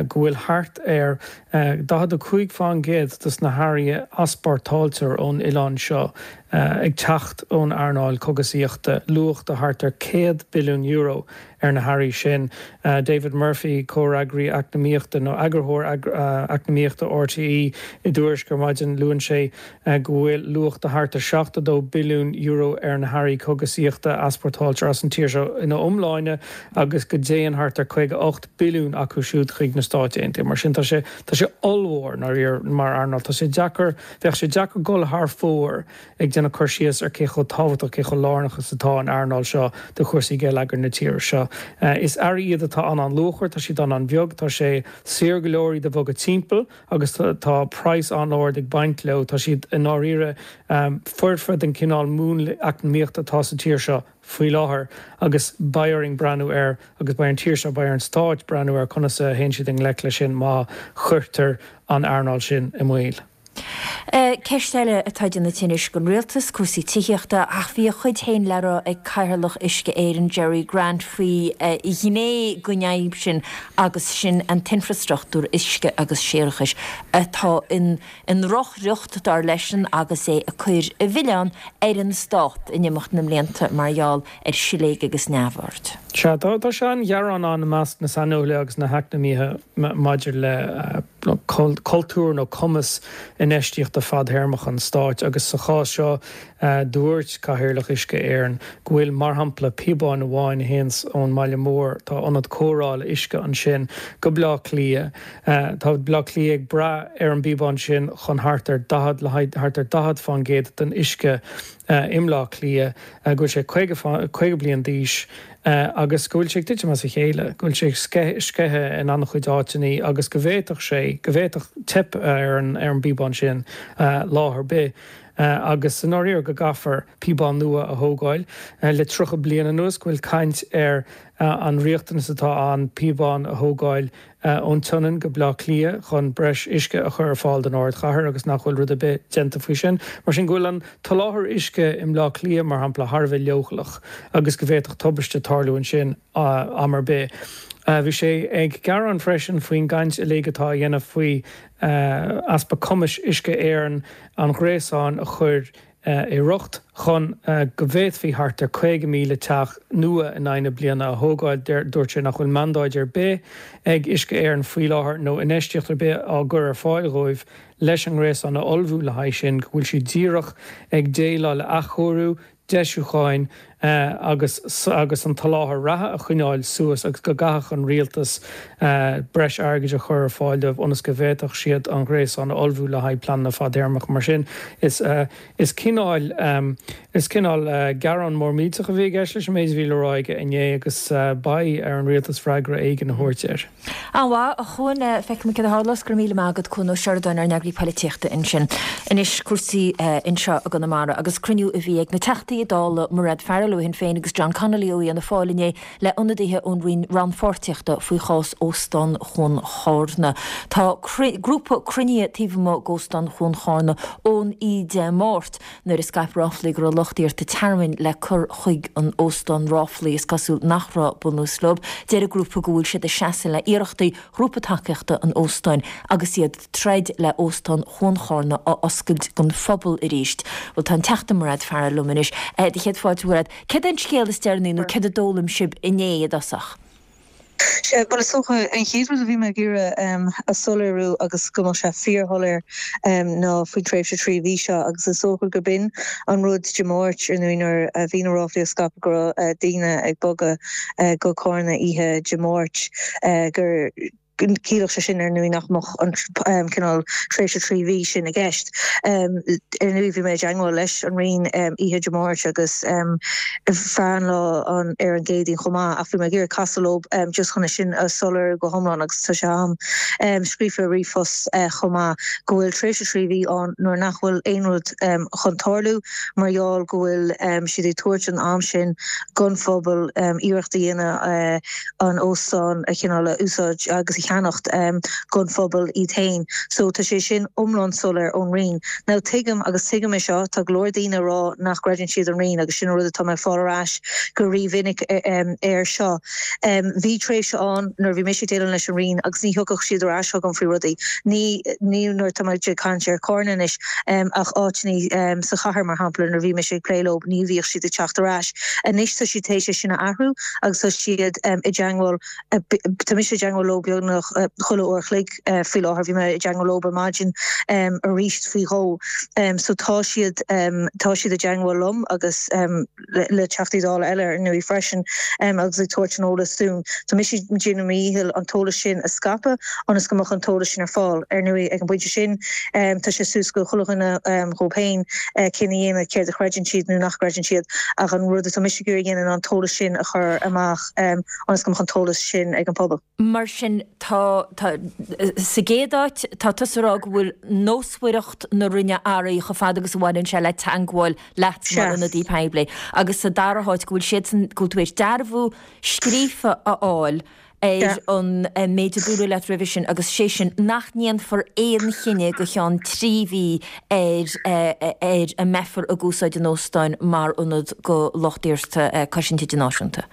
go bhfuil thart ar 45% dos na hearraí a easpórtáiltear ón oileán seo ag teacht ón earnáil cogasaíochta, luach de thart ar €100 billiún ar na hearraí sin. David Murphy, comhfhreagraí eacnamaíochta nó eagarthóir eacnamaíochta RTÉ i dTuairisc ar maidin, luann sé go bhfuil luach de thart ar €72 billiún ar na hearraí cogasaíochta a easpórtáiltear as an tír seo ina iomláine agus go dtéann thart ar 58 billiún acu siúd chuig na Stáit Aontaithe. Mar sin tá sé tá sé ollmhór ndáiríre mar earnáil. Tá sé deacair, bheadh sé deacair dul thar fóir ag déanamh cur síos ar cé chomh tábhachtach, cé chomh lárnach is atá an earnáil seo do chúrsaí geilleagair na tíre seo. Is earraí iad atá an-an-luachmhar, tá siad an-an-bheag, tá sé saor go leor iad a bhogadh timpeall agus tá praghas an-ard ag baint leo. Tá siad i ndáiríre foirfe don chineál múnla eacnamaíochta atá sa tír seo faoi láthair agus beidh orainn breathnú air agus beidh ar an tír seo, beidh ar an Stát breathnú ar conas a théann siad i ngleic leis sin má chuirtear an earnáil sin i mbaol. Ceist eile atá ag déanamh tinnis don rialtas, cúrsaí tithíochta, ach bhí a chuid féin le rá ag Cathaoirleach Uisce Éireann Gerry Grant faoi ghné den fhadhb sin agus sin an t-infreastruchtúr uisce agus séarachais atá i ndrochriocht dar leisean agus é ag cur an mhilleáin ar an stát in imeacht na mblianta mar gheall ar siléig agus neamhord. Sea, tá sean-ghearán ann i measc na saineolaithe agus na heacnamaithe maidir le cultúr nó cumas infheistíochta fadthéarmach an stáit agus sa chás seo dúirt Cathaoirleach Uisce Éireann go bhfuil, mar shampla, píobáin amháin a théanns ón mbaile mór, tá ionad cóireála uisce ansin, go Bleá Cliath. Tá Bleá Cliath ag brath ar an bpíobán sin chun thart ar 40 le haghaidh thart ar 40 fán gcéad den uisce i mBleá Cliath, go bhfuil sé 50 bliain d'aois agus go bhfuil sé ag titim as a chéile, go bhfuil sé ag sceitheadh in an-chuid áiteanna agus go bhféadfadh sé, go bhféadfadh teip ar an ar an bpíobán sin lá ar bith agus i ndáiríre go gcaithfear píobán nua a thógáil. Le 30 bliain anuas go bhfuil caint ar an riachtanas atá ann píobán a thógáil ón tSionainn go Bleá Cliath chun breis uisce a chur ar fáil don ardchathair agus nach bhfuil rud ar bith déanta faoi sin. Mar sin, go bhfuil an t-soláthar uisce i mBleá Cliath, mar shampla, thar a bheith leochaileach agus go bhféadfadh tubaiste tarlú ansin am ar bith. Bhí sé ag gearán freisin faoin gcaint uilig atá á dhéanamh faoi easpa cumais Uisce Éireann an ghréasáin a chur i riocht chun go bhféadfaí thart ar 50,000 teach nua in aghaidh na bliana a thógáil. Dúirt sé nach bhfuil mandáid ar bith ag Uisce Éireann faoi láthair nó infheistíocht ar bith á gcur ar fáil dhóibh leis an ngréasán a ullmhú le haghaidh sin, go bhfuil siad díreach ag déileáil le athchóiriú, deisiúcháin agus agus an t-soláthar reatha a choinneáil suas agus go gcaithfeadh an rialtas breis airgid a chur ar fáil dóibh ionas go bhféadfadh siad an ghréasán a ullmhú le haghaidh pleananna fadtéarmacha. Mar sin, is is cineál is cineál gearán mór millteach a bhí i gceist leis an méid a bhí le rá aige inné agus beidh ar an rialtas freagra éigin a thabhairt air. An-mhaith, a Chuain. Feicfimid céard a tharlós. Go raibh míle maith agat, Cuan Ó Seireadáin, ár n-eagraí poilitíochta ansin. Anois, cúrsaí anseo i gConamara agus cruinniú a bhí ag na Teachtaí Dála Mairéad Farrell. Farrell ó Shinn Féin agus John Connolly ó Fhianna Fáil inné le ionadaithe ón Roinn Rannpháirtíochta faoi chás Óstán Chuan Chárna. Tá grúpa cruinnithe taobh amuigh d'Óstán Chuan Chárna ón oíche Dé Máirt nuair a scaip ráflaí go raibh lucht iarrta tearmainn le cur chuig an óstán, ráflaí is cosúil nach raibh bunús leo. Deir an grúpa go bhfuil siad ag seasamh le iarrachtaí ghrúpa tacaíochta an óstáin agus iad ag troid le Óstán Chuan Chárna a oscailt don phobal arís. Bhuel tá an Teachta Mairéad Farrell liom anois. Do chéad fáilte Mhairéad. Céard é an scéal is deireanaí nó céard a d'fhoghlaim sibh inné i dtosach? Sea, bhuel is dócha an chéad rud a bhí mé ag iarraidh a soiléiriú agus go mbeadh sé fíorshoiléir ná faoin tréimhse 3 mhí seo agus is dócha gurb in an rud Dé Máirt ar ndóigh nuair a bhí na ráflaí á scaipeadh go raibh daoine ag bogadh go Cárna oíche Dé Máirt gur Chiallódh sé sin, ar ndóigh, nach mbeadh an cineál tréimhse 3 mhí sin i gceist. Ar ndóigh, bhí mé i dteagmháil leis an Roinn oíche Dé Máirt agus feadh an lá ar an gCéadaoin chomh maith ach bhí mé ag iarraidh casadh leo just chun é sin a soiléiriú go hiomlán agus tá sé agam scríofa i ríomhphost chomh maith go bhfuil tréimhse 3 mhí ann nuair nach bhfuil aon rud chun tarlú mar gheall go bhfuil siad ag tabhairt an am sin don phobal iarracht a dhéanamh an óstán a chineál a úsáid agus a cheannacht don phobal iad féin. So tá sé sin iomlán soiléir ón Roinn. Now tuigim agus tuigim é seo, tá go leor daoine ag rá nach gcreideann siad an Roinn agus sin an rud atá mé ag fáil ar ais go rímhinic air seo. Bhí tréimhse ann nuair a bhí mise ag déileáil leis an Roinn agus ní thiocfadh siad ar ais chugam faoi rudaí. Ní ní nuair atá mé ag caint ar Chárna anois ach áiteanna sa chathair mar shampla nuair a bhí mise ag plé leo ní bhíodh siad ag teacht ar ais. Anois tá siad théis é sin a athrú agus tá siad i dteangmháil, tá mise i dteangmháil leo beagnach chuile uair a chloig faoi láthair, bhí mé i dteangmháil leo ar maidin arís faoi dhó. So tá siad, tá siad i dteangmháil liom agus le Teachtaí Dála eile ar ndóigh freisin agus ag tabhairt an eolas dúinn. Tá mise ag déanamh mo dhícheall an t-eolas sin a scaipeadh ionas go mbeadh an t-eolas sin ar fáil. Ar ndóigh ag an bpointe sin tá sé suas go chuile dhuine dhóibh féin cinneadh a dhéanamh céard a chreideann siad nó nach gcreideann siad ach an rud atá mise ag iarraidh a dhéanamh ná an t-eolas sin a chur amach ionas go mbeadh an t-eolas sin ag an pobal. Mar sin, tá, tá, sa gcéad áit, tá tusa ag rá go bhfuil nósmhaireacht na Roinne athraithe chomh fada agus a bhaineann sé le teangmháil leat mar ionadaí poiblí agus sa dara háit go bhfuil siadsan, go bhfuil tú théis dearbhú scríofa a fháil ar an méid a dúradh leat roimhe sin agus sé sin nach ndéanfar aon chinneadh go ceann 3 mhí ar ar an mbeifear ag úsáid an óstáin mar ionad do lucht iarrta cosaint idirnáisiúnta.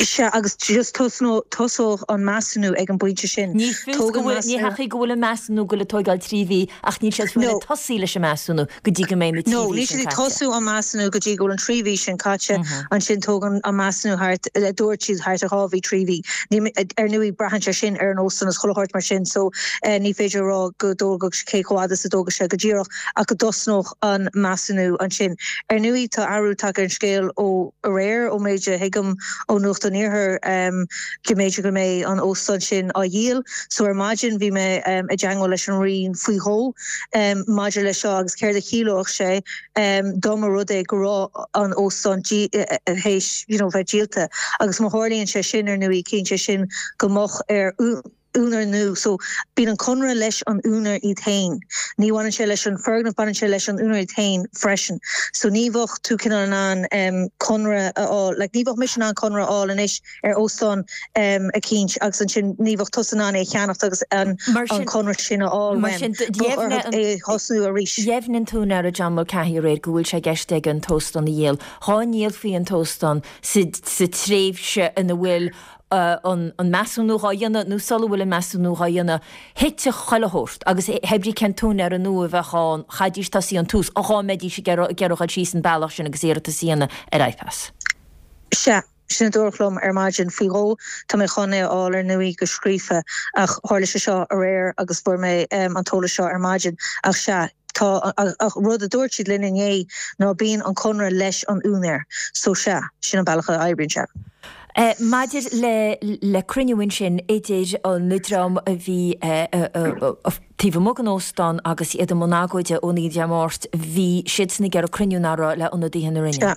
Sea, agus just tosódh an measúnú ag an bpointe sin. Ní fios go bhfuil, ní heachaí go bhfuil an measúnú ag goil ag tóigeáil 3 mhí ach níl siad fiú ag tosaí leis an measúnú go dtí go mbeidh na 3 mhí sin caite. No, níl siad ag tosú an measúnú go dtí go bhfuil an 3 mhí sin caite, ansin tógann an measúnú thart, dúirt siad thart ar 2 mhí, 3 mhí. Ar ndóigh braitheann sé sin ar an óstán agus chuile shórt mar sin so ní féidir a rá go dtógfadh sé, cé chomh fada is a dtógfadh sé go díreach ach go dtosnódh an measúnú ansin. Ar ndóigh tá athrú tagtha ar an scéal ó aréir, ón méid a thuigim ó Nuacht an Iarthair, go mb'fhéidir go mbeidh an óstán sin á dhíol. So ar maidin bhí mé i dteangmháil leis an Roinn faoi dhó maidir leis seo agus céard a chiallódh sé dá mba rud é go raibh an óstán théis you know bheith díolta. Agus má tharlaíonn sé sin ar ndóigh ciallaíonn sé sin go mbeadh ar úinéir nua. So, bíonn an conradh leis an úinéir iad féin. Ní bhaineann sé leis an foirgneamh, baineann sé leis an úinéir iad féin freisin. So, ní bheadh tú cineál in ann conradh a fháil, like ní bheadh mise in ann conradh a fháil anois ar óstán eicínt agus ansin ní bheadh tusa in ann é a cheannacht agus an conradh sin a fháil uaim. Bheadh orthu é a thosnú arís. Dheimhnigh an t-úinéir John Mulcahy aréir go bhfuil sé i gceist aige an t-óstán a dhíol. Dhá ndíolfaí an t-óstán sa tréimhse ina bhfuil an measúnú dhá dhéanamh nó sula bhfuil an measúnú dhá dhéanamh, thitfeadh chuile shórt agus hé brí cén t-úinéir nua a bheadh ann, chaithfidís tosaí ón tús, dhá mbeidís ag iarraidh dhul síos an bealach sin agus iarratas a dhéanamh ar IPAS. Sea, sin a dúradh liom ar maidin faoi dhó. Tá mé chun é a fháil ar ndóigh go scríofa ach tharla sé seo aréir agus fuair mé an t-eolas seo ar maidin. Ach sea, tá, ach rud a dúirt siad linn inné ná bíonn an conradh leis an úinéir. So sea, sin an bealach a oibríonn sé. Maidir le cruinniú ansin idir an dream a bhí taobh amuigh den óstán agus iad i mbun agóide ón oíche Dé Máirt, bhí siadsan ag iarraidh cruinniú nach raibh le ionadaithe na Roinne.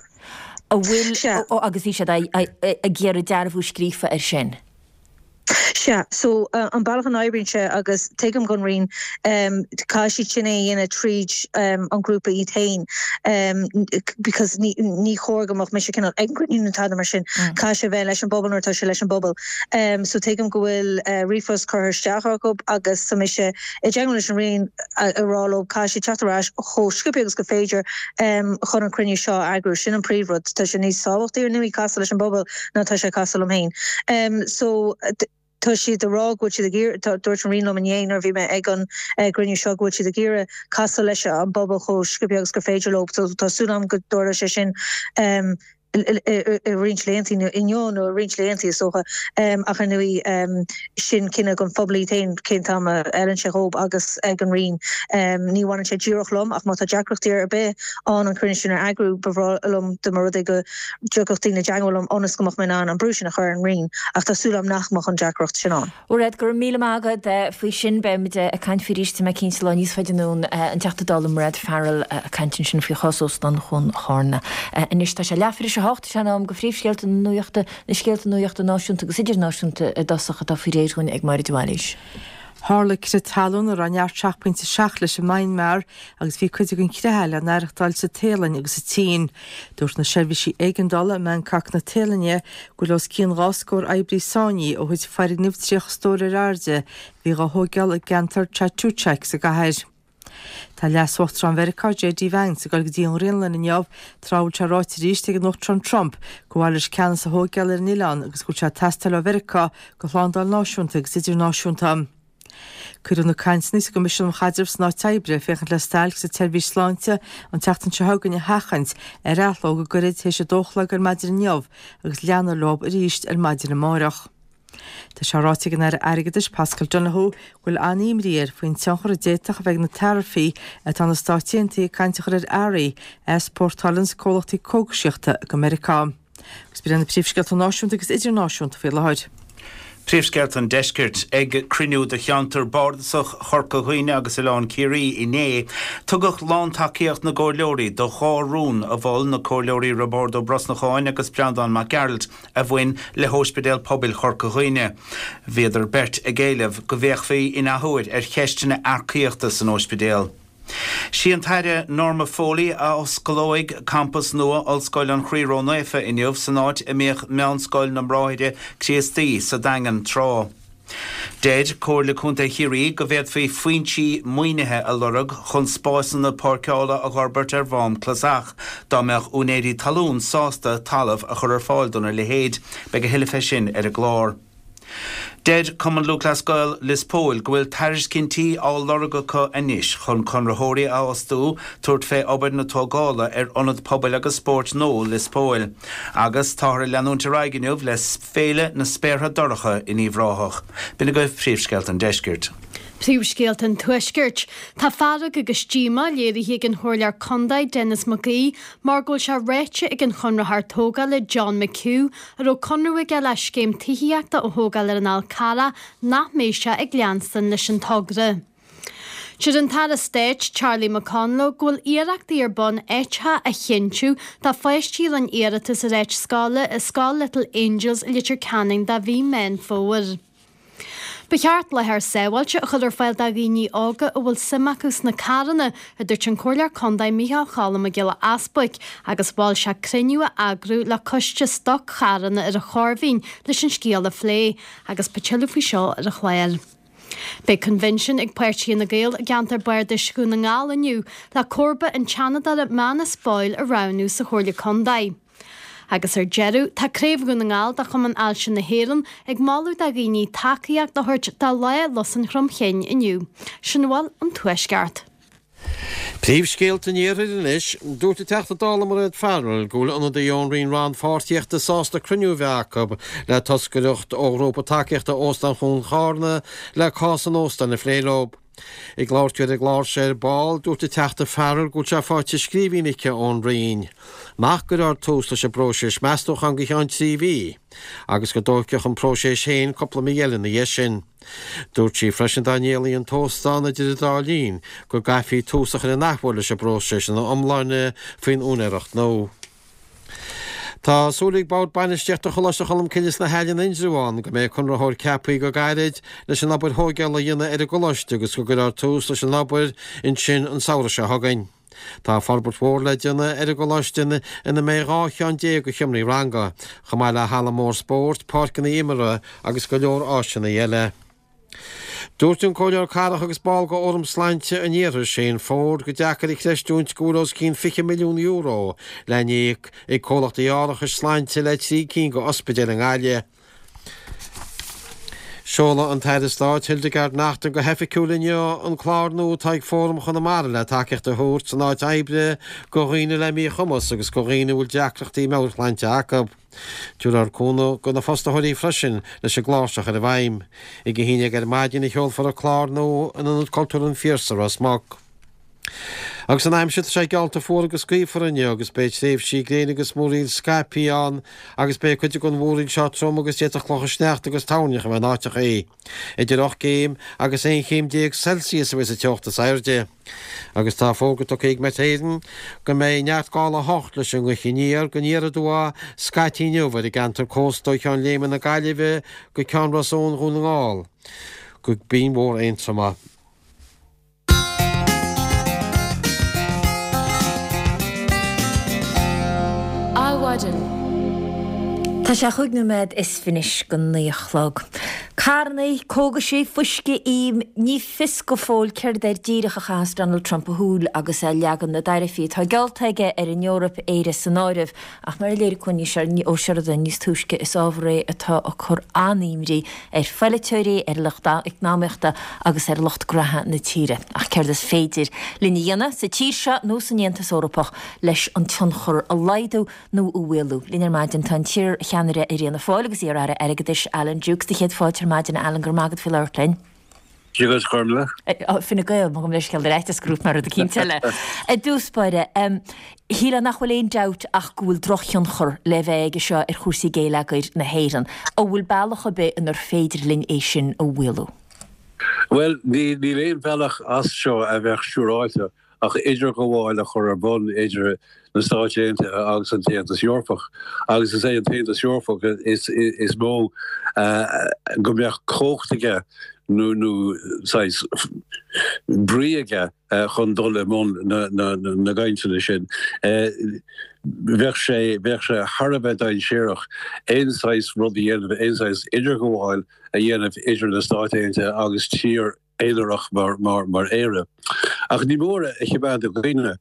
An bhfuil, agus bhí siad ag iarraidh dearbhú scríofa air sin. Sea, so an bealach a n-oibríonn sé agus tuigim don Roinn, caithfidh siad sin é a dhéanamh tríd an grúpa iad féin because ní chóir go mbeadh mise cineál ag an gcruinniú nó tada mar sin, caithfidh sé a bheith leis an bpobal nuair atá sé leis an bpobal. So tuigim go bhfuil ríomhphost curtha isteach acu agus tá mise i dteagmháil leis an Roinn ag rá leo caithfidh siad teacht ar ais chomh sciobtha agus gur féidir chun an cruinniú seo a eagrú. Sin an príomhrud. Tá sé níos tábhachtaí ar ndóigh casadh leis an bpobal ná tá sé ag casadh liom féin. So, tá siad ag rá go bhfuil siad ag iarraidh, dúirt an Roinn liom inné nuair a bhí mé ag an gcruinniú seo go bhfuil siad ag iarraidh casadh leis an bpobal chomh sciobtha agus gur féidir leo. So, tá súil agam go dtarlóidh sé sin i roinnt laethanta, nó inniu nó i roinnt laethanta is dócha. Ach ar ndóigh, sin cinneadh don phobal iad féin cén t-am a fheileann sé dhóibh agus ag an Roinn. Ní bhaineann sé díreach liom ach má tá deacrachtaí ar bith ann an cruinniú sin a eagrú, ba bhreá liom dá mba rud é go dtiocfadh daoine i dteagmháil liom ionas go mbeadh mé in ann an brú sin a chur ar an Roinn, ach tá súil agam nach mbeadh an deacracht sin ann. Mairéad, go raibh míle maith agat faoi sin. Beidh muid ag caint faoi arís, tá mé cinnte, lá níos faide anonn. An Teachta Dála Mairéad Farrell ag caint ansin faoi chás Óstán Chuan Charna. Anois tá sé leathuair tar éis a hocht, is é an am do phríomhscéalta na nuachta, na scéalta nuachta náisiúnta agus idirnáisiúnta i dtosach atá faoi réir dhúinn ag Máire de Bhailís. Tharla crith talún a raibh neart 7.7 leis i Maenmar agus bhí cuid den chrith le n-aireachtáil sa Téalainn agus sa tSín. Dúirt na seirbhísí éigeandála i mBangkok na Téalainne go bhfuil os cionn 2 scór oibrí sáinnithe ó thit foirgneamh 30 stór ar airde a bhí dhá thóigeáil i gceantar Chatuchak sa gcathair. Tá Leas-Uachtarán Mheiriceá JD Vance ag dul go dtí an Ghraonlainn inniu tráth a bhfuil sé ráite arís ag an Uachtarán Trump gur mhaith leis ceannas a thóigeáil ar an oileán agus go bhfuil sé ag teastáil ó Mheiriceá do shlándáil náisiúnta agus idirnáisiúnta. Cuireadh na cainteanna sa gCoimisiún um Chaidreamh san Áit Oibre féachaint le stailc sa tseirbhís sláinte an tseachtain seo chugainn a sheachaint ar athló go gairid théis a dó a chlog ar maidin inniu agus leanfar leo arís ar maidin amárach. Tá sé ráite ag an Aire Airgeadais Paschal Donohoe go bhfuil an-imní air faoin tionchar a d'fhéadfadh a bheith ag na taraifí atá na Stáit Aontaithe ag caint a chur ar earraí a easpórtálanns comhlachtaí cógaisíochta go Meiriceá. Agus b'in iad na príomhscéalta náisiúnta agus idirnáisiúnta faoi láthair. Príomhscéalta an Deiscirt. Ag cruinniú de cheantar bardasach Chorca Dhuibhne agus Oileán Ciarraí inné, tugadh lántacaíocht na gcomhairleoirí do dhá rún a mhol na Comhairleoirí Roibeárd Ó Brosnacháin agus Breandán Mac Gearailt a bhain le hÓispidéal Pobail Chorca Dhuibhne. Bhíodar beirt ag éileamh go bhféachfaí in athuair ar cheisteanna earcaíochta san óispidéal. Sí an tAire Norma Foley a osclóidh campas nua Ollscoil an Chroí Ró-Naofa inniu san áit a mbíodh Meánscoil na mBráithre Críostaí sa Daingean tráth. Deir Comhairle Contae Chiarraí go bhféadfaí foinsí maoinithe a lorg chun spásanna páirceála a dh'fhorbairt ar Mhám Clasach dá mbeadh úinéirí talún sásta talamh a chur ar fáil dona leithéid. Beidh a thuilleadh fé sin ar an gclár. Deir Cumann Lúthchleas Gael Lios Póil go bhfuil tairiscintí á lorg acu anois chun conraitheoirí a fhostú tabhairt fé obair na tógála ar Ionad Pobail agus Spóirt nua Lios Póil. Agus táthar ag leanúint ar aghaidh inniu le Féile na Spéartha Dorcha in Uíbh Ráthach. B'in agaibh príomhscéalta an deiscirt. Príomhscéalta an Tuaiscirt. Tá fearg agus díomá léirithe ag an Chomhairleoir Contae Denis Mac Aoidh mar go bhfuil sé ráite ag an chonraitheoir tógála John McHugh, a raibh conradh aige le scéim tithíochta a thógáil ar an Fhál Carrach, nach mbeidh sé ag leanstan leis an togra. Deir an tAire Stáit Charlie McConalogue go bhfuil iarrachtaí ar bun áiteacha a chinntiú do pháistí a rinne iarratas ar áit scoile i Scoil Little Angels i Leitir Ceanainn do mhí Meán Fómhair. Ba cheart láthair sábháilte a chur ar fáil do dhaoine óga a bhfuil suim acu sna carranna, a dúirt an Comhairleoir Contae Micheál Cholm Mac Giolla Easbuic, agus mhol sé cruinniú a eagrú le coiste stoc-charranna ar an Chorr Mhín leis an scéal a phlé, agus beidh tuilleadh faoi seo ar an chlár. Beidh coinbhinsiún ag Páirtí Fhine Gael i gceantar Bardais Dhún na nGall inniu le comharba an tSeanadóra Manus Boyle a roghnú sa Chomhairle Contae. Agus ar deireadh, tá Craobh Dhún na nGall de Chumann Ailse na hÉireann ag moladh do dhaoine tacaíocht a thabhairt do Lá Lus an Chromchinn inniu. Sin a bhfuil ón Tuaisceart. Príomhscéalta an Iarthair anois. Dúirt an Teachta Dála Mairéad Farrell go bhfuil ionadaí ón Roinn Rannpháirtíochta sásta cruinniú a bheith acu le toscaireacht ó ghrúpa tacaíochta Óstán Chuan Charna le cás an óstáin a phlé leo. Ag labhairt di ar an gclár seo ar ball, dúirt an Teachta Farrell go bhfuil sé faighte i scríbhinn aici ón Roinn nach gcuirfear tús leis an bpróiseas meastúcháin go ceann 3 mhí agus go dtógfadh an próiseas féin cúpla mí eile ina dhiaidh sin. Dúirt sí freisin dá ndíolfaí an t-óstán idir an dá linn go gcaithfí tús a chur an athuair leis an bpróiseas ina iomláine faoin úinéireacht nua. Tá súil ag Bord Bainistíochta Choláiste Cholmcille sna hEilean Indreabhán go mbeidh conraitheoir ceaptha go gairid leis an obair thóigeála a dhéanamh ar an gcoláiste agus go gcuirfear tús leis an obair ansin an samhradh seo chugainn. Tá forbairt mhór le déanamh ar an gcoláiste ina mbeidh 12 cheann de sheomraí ranga, chomh maith le halla mór spóirt, páirceanna imeartha agus go leor áiseanna eile. Dúirt an Comhairleoir Cathrach agus ball de Fhóram Sláinte an Iarthair, Shane Forde, gur deacair a chreistiúint go bhfuil os cionn €20 milliún le n-íoc ag comhlachtaí árachais sláinte le 3 cinn de ospidéil i nGaillimh. Seolfaidh an tAire Stáit Hildegarde Naughton go hoifigiúil inniu an clár nua atá ag Fóram Chonamara le tacaíocht a thabhairt san áit oibre do dhaoine le míchumas agus do dhaoine a bhfuil deacrachtaí meabhairshláinte acu. Tabharfar cúnamh do na fostaitheoirí freisin leis an gclár seo a chur i bhfeidhm. Ag a haon dhéag ar maidin a sheolfar an clár nua in Ionad Cultúrtha an Phiarsaigh, Ros Muc. Agus an aimsir, tá sé geallta fuar agus gaofar inniu agus beidh tréimhsí gréine agus múraíl scaipthe ann agus beidh cuid den mhúraíl seo trom agus d'fhéadfadh clocha sneachta agus toirneach a bheith in áiteachaí. Idir 8 gcéim agus 11 chéim Celsius a bheas an teocht is airde. Agus tá fógra tugtha ag Met Éireann go mbeidh neart gála 8 leis an ngaoth aniar go aniar aduaidh scaití inniu ar an gceantar cósta ó Cheann Léime na Gaillimhe go Ceann Ros Eoin Dhún na nGall go Binn Mhór Aontroma. Adhmhaidin. Tá sé chúig nóiméad is fiche anois go naoi a chlog. Carrannaí, cógaisí, fuisce, ím, ní fios go fóill céard air díreach a chaitheas Donald Trump a shúil agus é ag leagan na dtaraifí atá geallta aige ar an Eoraip, Éire san áireamh. Ach mar a léirigh Cuan Ní Ó Seireadáin níos túisce, is ábhar é atá ag cur an-imní ar pholaiteoirí, ar lucht eacnamaíochta agus ar lucht graithe na tíre. Ach céard is féidir linn a dhéanamh, sa tír seo nó san Aontas Eorpach, leis an tionchar a laghdú nó a mhaolú? Linn ar maidin tá an t-iar-cheannaire ar Fhianna Fáil agus iar-aire airgeadais Alan Dukes. Do chéad fáilte ar maidin, Alan, go raibh maith agat faoi labhairt linn. Dia duit, a Ghormfhlaith. Fine Gael, mo leithscéal ar fhaitíos go raibh mé rud eicínt eile. I dtús báire, shílfeá nach bhfuil aon dabht ach go bhfuil drochthionchar le bheith aige seo ar chúrsaí géilleagair na hÉireann. An bhfuil bealach ar bith inar féidir linn é sin a mhaolú? Bhuel, níl aon bhealach as seo a bheadh siúráilte ach idirghabháil a chur ar bun idir na Stáit Aontaithe agus an tAontas Eorpach, agus is é an tAontas Eorpach is mó go mbeadh cumhacht aige nó nó saghas brí aige chun dul i mbun na gcainteanna sin. Bheadh sé bheadh sé thar a bheith dainséarach aon saghas rud a dhéanamh, aon saghas idirghabháil a dhéanamh idir na Stáit Aontaithe agus tír aonarach mar Éire. Ach ní mór a choimeád i gcuimhne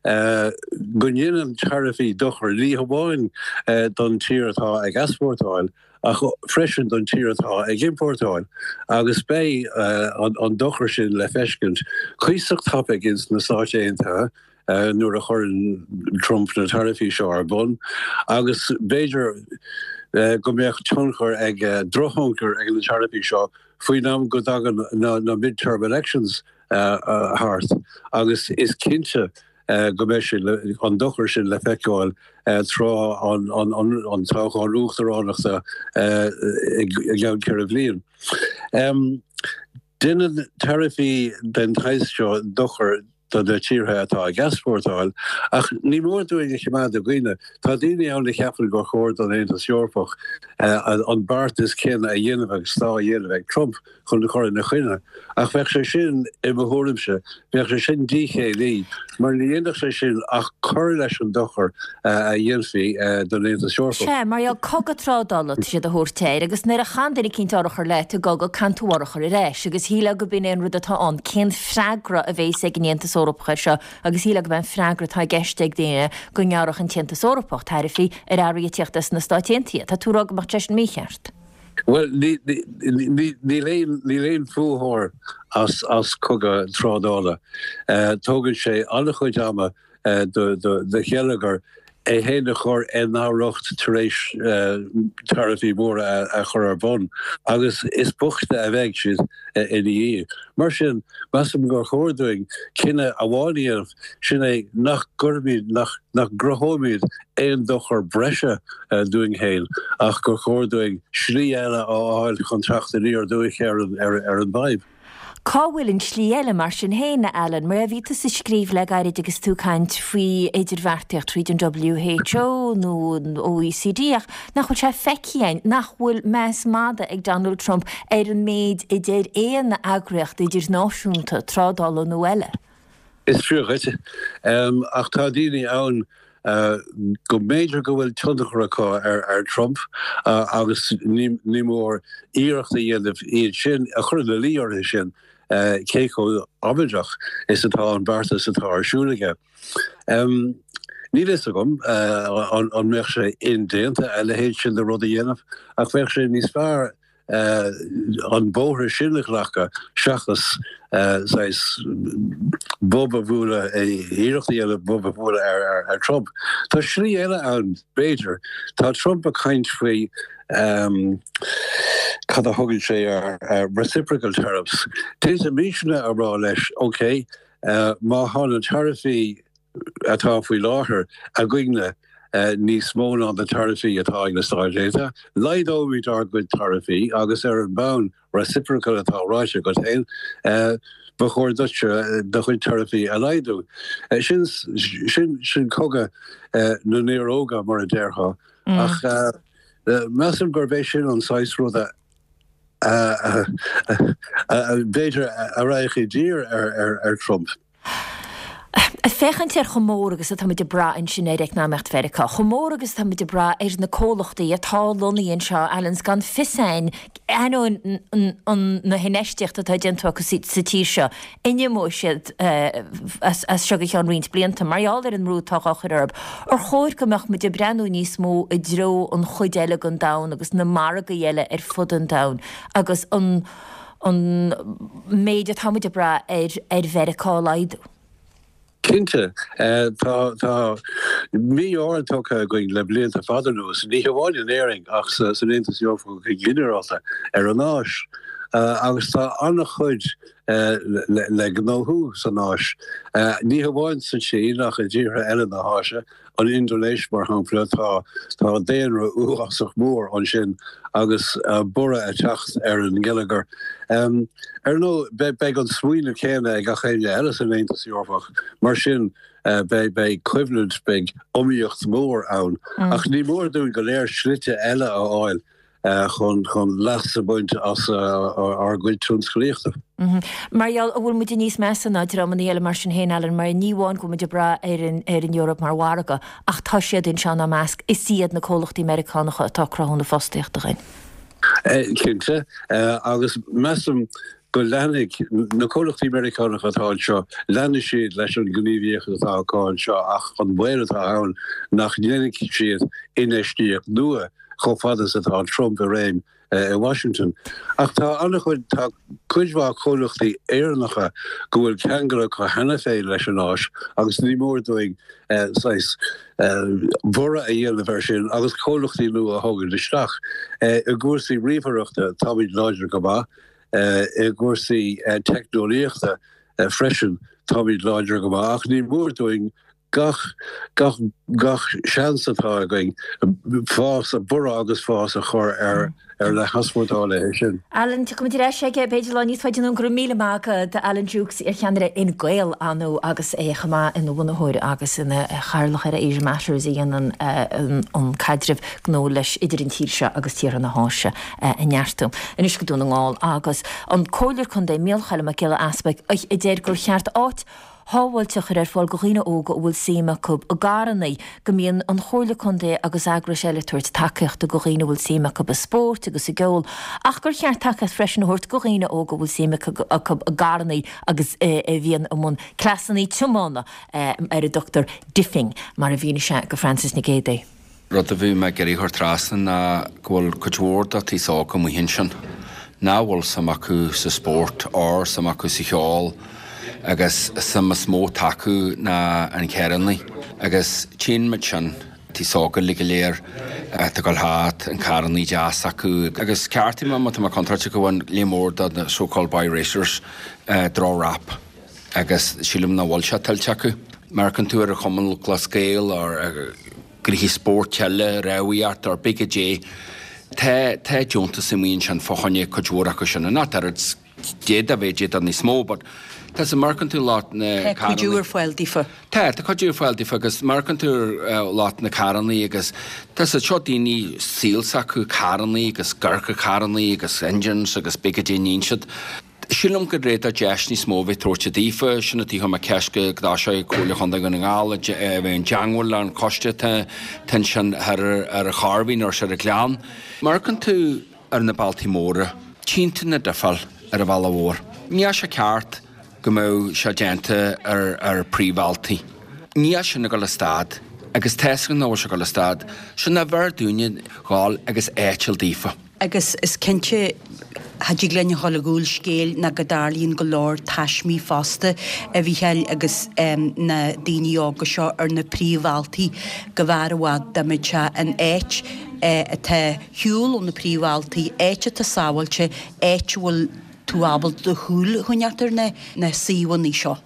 go ndéanann taraifí dochar ní hamháin don tír atá ag easpórtáil ach freisin don tír atá ag iompórtáil agus beidh an dochar sin le feiscint cuíosach tapaidh ins na Stáit Aontaithe nuair a chuireann Trump na taraifí seo ar bun agus b'fhéidir go mbeadh tionchar ag, drochthionchar ag na taraifí seo faoin am go dtagann na mid-term elections thart agus is cinnte go mbeidh sé, an dochar sin le feiceáil tráth an toghcháin uachtaránachta i gceann 4 bhliain. Déanann taraifí den tsaghas seo dochar do na tíortha atá ag easpórtáil, ach ní mór dúinn a choimeád i gcuimhne, tá daoine ann a cheapann gur chóir don Aontas Eorpach an beartas céanna a dhéanamh agus atá á dhéanamh ag Trump chun cur ina choinne, ach bheadh sé sin, i mo thuairimse, bheadh sé sin díchéillí, mar ní dhéanfadh sé sin ach cur leis an dochar a dhéanfaí don Aontas Eorpach. Sea, mar gheall cogadh trádála atá siad a thabhairt air, agus nuair a chaitheann duine eicínt urchar leat i gcogadh, caitheann tú urchar ar ais, agus shílfeá go b'in é an rud atá ann, cén freagra a bhéas ag an Aontas Eorpach air seo, agus shílfeá go b'é an freagra atá i gceist ag daoine go ngearrfadh an tAontas Eorpach taraifí ar earraí ag tíocht as na Stáit Aontaithe. Tá tú ag rá go mbeadh sé sin mícheart? Bhuel, níl aon, níl aon bhuaitheoir as cogadh trádála. Tógann sé an-chuid ama do gheilleagar é féin a chur ina riocht tar éis taraifí móra a chur ar bun agus is boichte a bheidh siad ina dhiaidh. Mar sin, measaim gur chóir dúinn cinneadh amháin a dhéanamh, sin é nach gcuirfimid, nach gcruthóimid aon dochar breise dúinn féin ach gur chóir dúinn slí eile a fháil chun teacht aniar aduaidh ar an bhfadhb. Cá bhfuil an tslí eile, mar sin féin, a Alan? Mar bhí tusa ag scríobh le gairid agus tú ag caint faoi idirbheartaíocht tríd an WHO nó an OECD ach nach bhfuil sé feicthe againn nach bhfuil meas mada ag Donald Trump ar an méid a deir aon eagraíocht idirnáisiúnta, trádála nó eile. Is fíor dhuit. Ach tá daoine ann go mb'fhéidir go bhfuil tionchar acu ar Trump agus ní mór iarracht a dhéanamh iad sin a chur ina luí orthu sin cé chomh amaideach is atá an beartas atá ar siúl aige. Níl a fhios agam an mbeadh sé indéanta a leithéid sin de rud a dhéanamh ach bheadh sé níos fearr an bóthar sin a ghlacadh seachas saghas bob a bhualadh, iarracht a dhéanamh bob a bhualadh ar Trump. Tá slí eile ann, b'fhéidir. Tá Trump ag caint faoi, cad a thugann sé air, reciprocal tariffs. D'fhéadfaimisne a rá leis, ok, má tá na taraifí atá faoi láthair againne níos mó ná na taraifí atá ag na Stáit Aontaithe. Laghdóimid ár gcuid taraifí agus ar an mbonn reciprocal atá ráite agat féin, ba chóir duitse do chuid taraifí a laghdú. Sin, sin, sin cogadh na néaróga, mar a déarfá. Ach measaim gurb é sin an saghas ruda a, b'fhéidir, a raghadh i dtír ar Trump. Ag féachaint ar chomh mór agus atá muid ag brath ansin ar eacnamaíocht Mheiriceá, chomh mór agus atá muid ag brath ar na comhlachtaí atá lonnaithe anseo, Alan, 's gan fios a'inn, ainneoin na hinfheistíochta atá déanta acu sa tír seo, an imeoidh siad as seo go ceann roinnt blianta mar gheall ar an mbrú atá á chur orthu. Ar chóir go mbeadh muid ag breathnú níos mó i dtreo an chuid eile den domhan agus na margaí eile ar fud an domhain agus an an méid atá muid ag brath ar ar Mheiriceá a laghdú. Cinnte, tá tá mí-ord tugtha againn le blianta fada anuas, ní hamháin in Éirinn ach san Aontas Eorpach go ginearálta, ar an Áis. Agus tá an-chuid le gnóthú san Áis, ní hamháin sa tSín ach i dtíortha eile na hÁise. An Indinéis, mar shampla, tá tá daonra uafásach mór ansin agus borradh ag teacht ar an ngeilleagar. Ar ndóigh, beidh an smaoineamh céanna ag gach éinne eile san Aontas Eorpach, mar sin beidh beidh coimhlint, beidh iomaíocht mhór ann. Ach ní mór dúinn go léir slite eile a fháil chun chun leas a bhaint as ár gcuid tionsclaíochta. Mar gheall, an bhfuil muide níos measa ná dreamanna eile mar sin féin, Alan, mar ní amháin go bhfuil muid ag brath ar an ar an Eoraip mar mhargadh, ach tá siad anseo inár measc, is iad na comhlachtaí Meiriceánacha atá ag cruthú na fostaíochta dhuinn. Cinnte, agus measaim go leanfaidh na comhlachtaí Meiriceánacha atá anseo, leanfaidh siad leis an ngníomhaíocht atá acu anseo ach an baol atá ann nach ndéanfaidh siad infheistíocht nua chomh fada is atá Trump i réim i Washington. Ach tá an-chuid, tá cuid mhaith comhlachtaí Éireannacha go bhfuil ceangal acu cheana féin leis an Áis agus ní mór dúinn saghas borradh a dhéanamh air sin agus comhlachtaí nua a thógaint isteach. I gcúrsaí ríomhaireachta táimid láidir go maith, i gcúrsaí teicneolaíochta freisin táimid láidir go maith ach ní mór dúinn gach, gach, gach seans atá againn fás, borradh agus fás a chur ar, ar na heaspórtálaithe sin. Alan, tiocfaimid ar ais aige b'fhéidir lá níos faide anonn. Go raibh míle maith agat, Alan Dukes, iar-cheannaire Fhine Gael, ar ndóigh, agus é chomh maith ina bhunaitheoir agus ina chathaoirleach ar Asia Matters a dhéanann an caidreamh gnó leis idir an tír seo agus tíortha na hÁise a neartú. Anois go Dún na nGall agus an Comhairleoir Contae Micheál Choilm Mac Giolla Easpaig a deir gur cheart áit shábháilte a chur ar fáil go dhaoine óga a bhfuil suim acu i gcarranna, go mbíonn an Chomhairle Contae agus eagrais eile ag tabhairt tacaíochta go dhaoine a bhfuil suim acu i spóirt agus i gceol, ach gur cheart tacaíocht freisin a thabhairt go dhaoine óga a bhfuil suim acu i gcarranna agus a bhíonn i mbun cleasanna tiomána ar a dtugtar 'diffing', mar a mhínigh sé go Frances Nic Géadaigh. Rud a bhí mé ag iarraidh a chur trasna ná go bhfuil cuid mhór de an aos óg amuigh ansin nach bhfuil suim acu sa spórt or suim acu sa cheol agus suim is mó atá acu ná an carrannaí agus tchíonn muid sin an t-aos óg uilig go léir atá ag dul thart, an carrannaí deas acu agus ceartaigh mé má tá mé contráilte go bhfuil líon mór de na so called boy racers droch rap agus sílim nach bhfuil sé tuillte acu. Má amharcann tú ar an Chumann Lúthchleas Gael or gnoithí spóirt eile, rámhaíocht or pé caidé. Tá, tá deontas amuigh ansin fá choinne cuid mhór acu sin, and not oiread. D'fhéadfadh a bheith, d'fhéadfadh níos mó but tá sa amharcann tú lucht na Tá cuidiú ar fáil daofa. Tá, tá cuidiú ar fáil daofa agus amharcann tú ar lucht na carrannaí agus tá siad seo daoine saol s'acu carrannaí agus ag amharc ar carrannaí agus engines agus pé goidé a níonn siad. Sílim gur réadach deis níos mó a bheith tabhairte daofa, sin an tuige a chuir mé ceist go dtosóidh Comhairle Chontae Dhún na nGall a bheith i dteangmháil le an choiste atá ansin thoir ar an Chairbhín nó ar an Ghleann. Má amharcann tú ar na bealtaí móra, tchíonn tú na difeáil ar an bhealach mhór. Níl sé ceart go mbeadh sé déanta ar ar príomhbhealtaí. Níl sin ag dul a stad agus tá 'fhios againn nach bhfuil sé ag dul a stad. Sin nach bhfearr dúinne dhul agus áit a fháil daofa. Agus is cinnte, cha dtig linn a dhul i gcúl scéil ná go dtarlaíonn go leor taismí fosta, a Mhícheáil, agus na daoine óga seo ar na príomhbhealtaí, go mb'fhearr i bhfad dá mbeadh sé in áit atá ar shiúl ó na príomhbhealtaí, áit atá sábháilte, áit a bhfuil tú ábalta do shúil a choinneáilt ar na suíomhanna seo.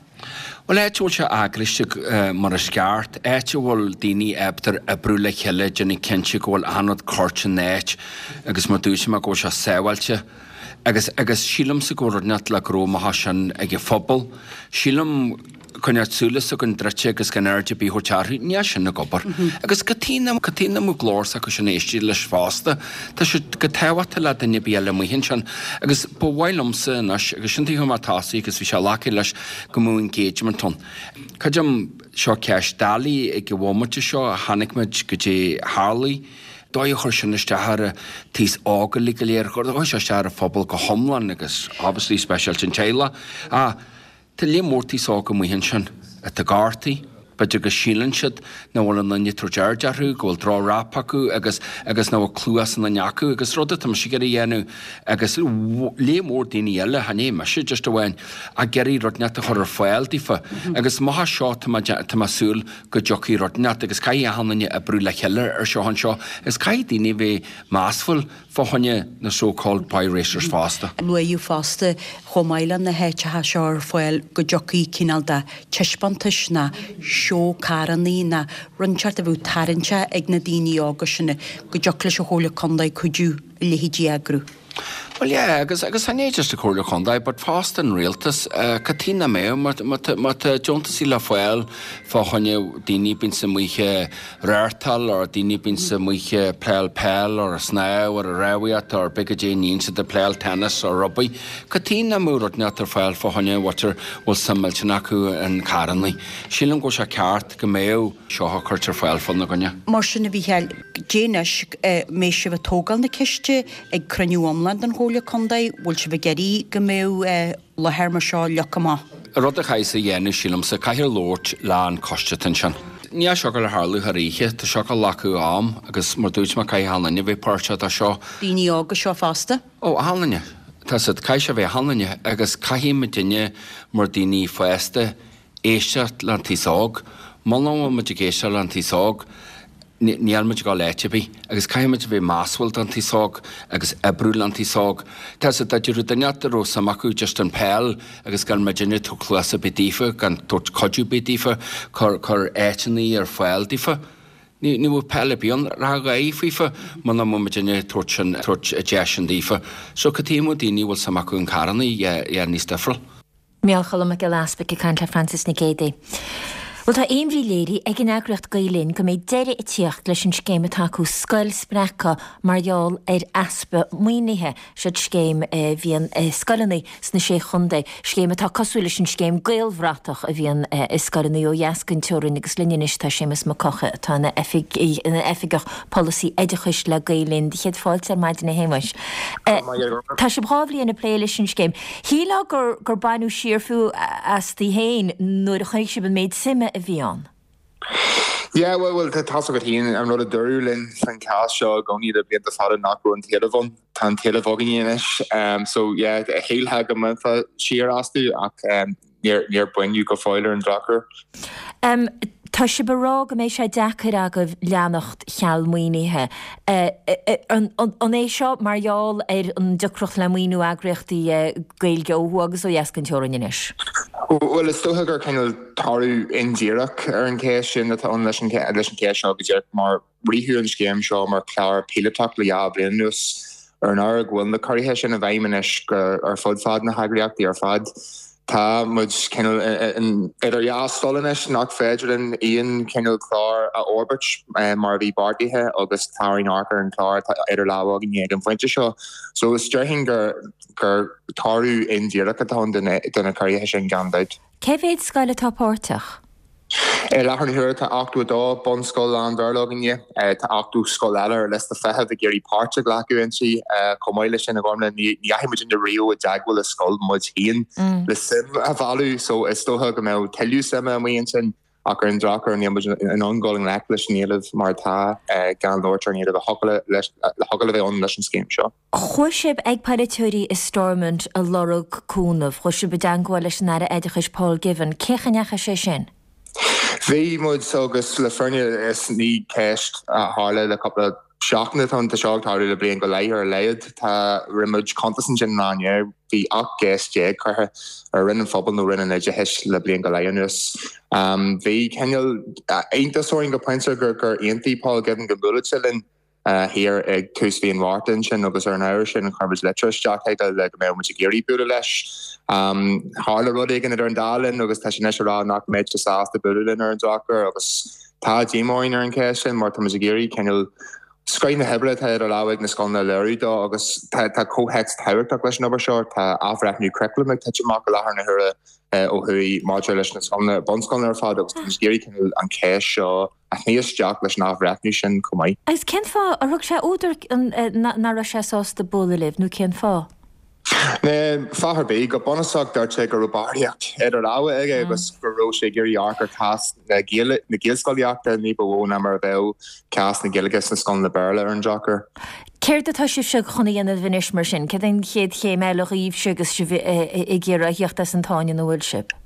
Bhuel, áit a bhfuil sé eagraithe mar is ceart, áit a bhfuil daoine ábalta oibriú le chéile, déanamh cinnte go bhfuil achan rud curtha in áit agus mar dúirt mé go bhfuil sé sábháilte. Agus, agus sílimse go bhfuil rud inteacht le go raibh maith sin ag an phobal. Sílim coinneáil súile s'againn druidte agus gan aird ar bith a thabhairt orthu, níl sin ag obair. Agus cad chuige nach, cad chuige nach mbeadh glór s'acu sin éisteacht leis fosta. Tá sé go tábhachtach le duine ar bith eile amuigh ansin. Agus ba mhaith liomsa anois, agus sin tuige mé tosaí agus bhí sé glactha leis go mbeadh engagement ann. Creidim, seo ceist doiligh ag an bhomaite seo a chonaic muid goidé a tharlaigh, dóigh a chuir sin isteach ar an taos óg uilig go léir, chuir sé isteach ar an phobal go hiomlán agus obviously speisialta an teaghlach. Ach Tá lear mór taos óg amuigh ansin atá gortaithe, b'fhéidir go síleann siad nach bhfuil aon duine ag tabhairt aird orthu, go bhfuil droch rap acu agus agus nach bhfuil cluas aon duine acu agus rud atá mise ag iarraidh a dhéanamh agus lear mór daoine eile, chan é mise just amháin, ag iarraidh rud inteacht a chur ar fáil daofa agus amach as seo tá mé tá mé ag súil go dtiocfaidh rud inteacht agus caithfidh achan duine oibriú le chéile ar seo anseo agus caithfidh daoine a bheith measúil fá choinne na so called boy racers fosta. Luaíodh fosta, chomh maith le na háiteacha seo ar fáil, go dtiocfaidh cineál de taispeántais ná seó carrannaí ná rud inteacht a bheadh tarraingteach ag na daoine óga sin, go dtiocfadh leis an Chomhairle Contae cuidiú a leithéidí a eagrú. Bhuel yeah, agus agus chan é just an Chomhairle Chontae but fosta an Rialtas, cad chuige nach mbeadh, má má tá má tá deontasaí le fáil fá choinne daoine bíonns amuigh rártáil or daoine bíonns amuigh ag playáil peil or ag snámh or ag rámhaíocht or pé goidé a níonn siad ag playáil tennis or rugbaí. Cad chuige nach mbeadh rud inteacht ar fáil fá choinne mhuintir bhfuil suim millteanach acu in carrannaí. Sílim go bhfuil sé ceart go mbeadh seo á cuirt ar fáil fá na gcoinne. Mar sin a Mhícheáil, goidé anois, mbeidh sibh ag tógáil na ceiste ag cruinniú iomlán den Chomhairle Contae, bhfuil sibh ag iarraidh go mbeadh láthair mar seo leagtha amach. An rud a chaithfeas a dhéanamh, sílimse, caithfear labhairt le an coiste atá ansin. Níl seo ag dul a tharlú thar oíche, tá seo ag dul a ghlacadh am agus mar dúirt mé caithfidh achan duine a bheith páirteach de seo. Daoine óga seo fosta? Ó, achan duine. Tá siad, caithfidh sé a bheith achan duine agus caithfidh muidinne mar daoine fásta éisteacht le an taos óg. Muna bhfuil muid ag éisteacht le an taos óg, níl muid ag dul áit ar bith agus caithfidh muid a bheith measúil don taos óg agus oibriú le an taos óg. Tá sé dá dtiocfadh duine a raibh suim acu just an peil agus gan muidinne ag tabhairt cluas ar bith daofa, gan tabhairt cuidiú ar bith daofa, cur cur áiteanna ar fáil daofa. Ní ní bheadh peil ar bith ann, rachadh aghaidh faofa muna mbeadh muidinne ag tabhairt sin tabhairt an deis sin daofa. So cad chuige nach mbeadh daoine a bhfuil suim acu in carrannaí, yeah yeah níos difriúil. Micheál Choilm Mac Giolla Easpaig ag caint le Frances Nic Géadaigh. Bhuel tá imní léirithe ag an eagraíocht Gael Linn go mbeidh deireadh ag tíocht leis an scéim atá acu Scoil Spreagtha mar gheall ar easpa maoinithe. Siod scéim a bhíonn i scoileanna sna Sé Chontae, scéim atá cosúil leis an scéim Gaelbhratach a bhíonn i scoileanna ó dheas den teorainn agus linn anois tá Séamus Mac Eochaidh atá ina Oifigeach Polasaí Oideachais le Gael Linn. Céad fáilte ar maidin a Shéamuis. Tá sibh dhá bhliain ag plé leis an scéim. Shílfeá gur gur baineadh siar fiú astaibh féin nuair a chonaic sibh an méid suime a bhí ann. Yeah, bhuel, bhuel, tá tá's agat féin, an rud a dúradh linn san chás seo i gcónaí le blianta fada nach raibh an t-éileamh ann. Tá an t-éileamh againne anois. So, yeah, shílfeá go mbainfeá siar astu ach níor, níor baineadh go fóill ar an drochuair. Tá sibh ag rá go mbeidh sé deacair agaibh leanacht cheal maoinithe. An é seo mar gheall ar an deacracht le maoiniú eagraíochtaí Gaeilge ó thuaidh agus ó dheas den teorainn anois? Bhuel, is dócha gur cineál toradh indíreach ar an cheist sin atá ann leis an cheist seo go díreach mar ritheadh an scéim seo mar chlár píolótach le dhá bhliain anuas. Ar an ábhar go bhfuil na ciorruithe sin i bhfeidhm anois ar fud fad na heagraíochtaí ar fad, tá muid cineál idir dhá stól anois nach féidir linn aon chineál clár a fhorbairt mar a bhí beartaithe agus tá orainn amharc ar an chlár atá idir lámha againne ag an phointe seo. So is déarfainn gur gur toradh indíreach atá ann do na ciorruithe sin gan dabht. Cé mhéad scoil atá páirteach? I láthair na huaire tá 82 bunscoil lán-Bhéarla againne. Tá 80 scoil eile ar liosta feithimh ag iarraidh páirt a ghlacadh inti. Chomh maith leis sin, a Ghormfhlaith, ní dheachaigh muidinne riamh i dteagmháil le scoil muid féin le suim a mhealladh so is dócha go mbeadh tuilleadh suime amuigh ansin ach ar an drochuair níl muid in ann dul i ngleic leis an éileamh mar atá, gan labhairt ar an éileamh a thiocfadh le bheith ann leis an scéim seo. Chuaigh sibh ag polaiteoirí i Stormont a lorg cúnamh. Chuaigh sibh i dteangmháil leis an Aire Oideachais Paul Givan. Cén chaoi a ndeachaigh sé sin? Bhí muid agus le fírinne is ní ceist a tharla le cúpla seachtain atá ann, tá seo ag tarlú le bliain go leith ar a laghad. Tá, rinne muid cuntas ansin an lá inné, bhí 18 gceist curtha ar Roinn an Phobail nó Roinn an Oideachais le bliain go leith anuas. Bhí cineál iontas orainn go pointe gur aontaigh Paul Givan go mbuailfeadh sé linn. thiar ag tús mhí an Mhárta ansin agus ar an ábhar sin chuir muid litir isteach chuige le go mbeadh muid ag iarraidh bualadh leis. Tharla rud éigin idir an dá linn agus tá sé anois ag rá nach mbeidh sé sásta bualadh linn ar an drochuair agus tá díomá orainn ar an cheist sin mar tá muid ag iarraidh cineál scoith na hoibre atá idir lámha ag na scoileanna a léiriú dó agus tá tá comhthéacs tábhachtach leis an obair seo. Tá athbhreithniú curaclaim ag titim amach i láthair na huaire ó thuaidh maidir leis na scoileanna, bunscoileanna ar fad agus tá muid ag iarraidh cineál an cheist seo a shní isteach leis an athbhreithniú sin chomh maith. Agus cén fáth ar thug sé údar nach raibh sé sásta bualadh libh, nó cén fáth? Níl fáth ar bith. Go bunúsach dúirt sé go raibh barraíocht idir lámha aige agus go raibh sé ag iarraidh amharc ar chás na Gaelscolaíochta ní ba mhó ná mar a bheadh cás na Gaeilge sna scoileanna Béarla ar an drochuair. Céard atá sibhse chun a dhéanamh anois mar sin? Céard é an chéad chéim eile dhaoibhse agus sibh ag iarraidh a theacht as an tsáinn ina bhfuil sibh?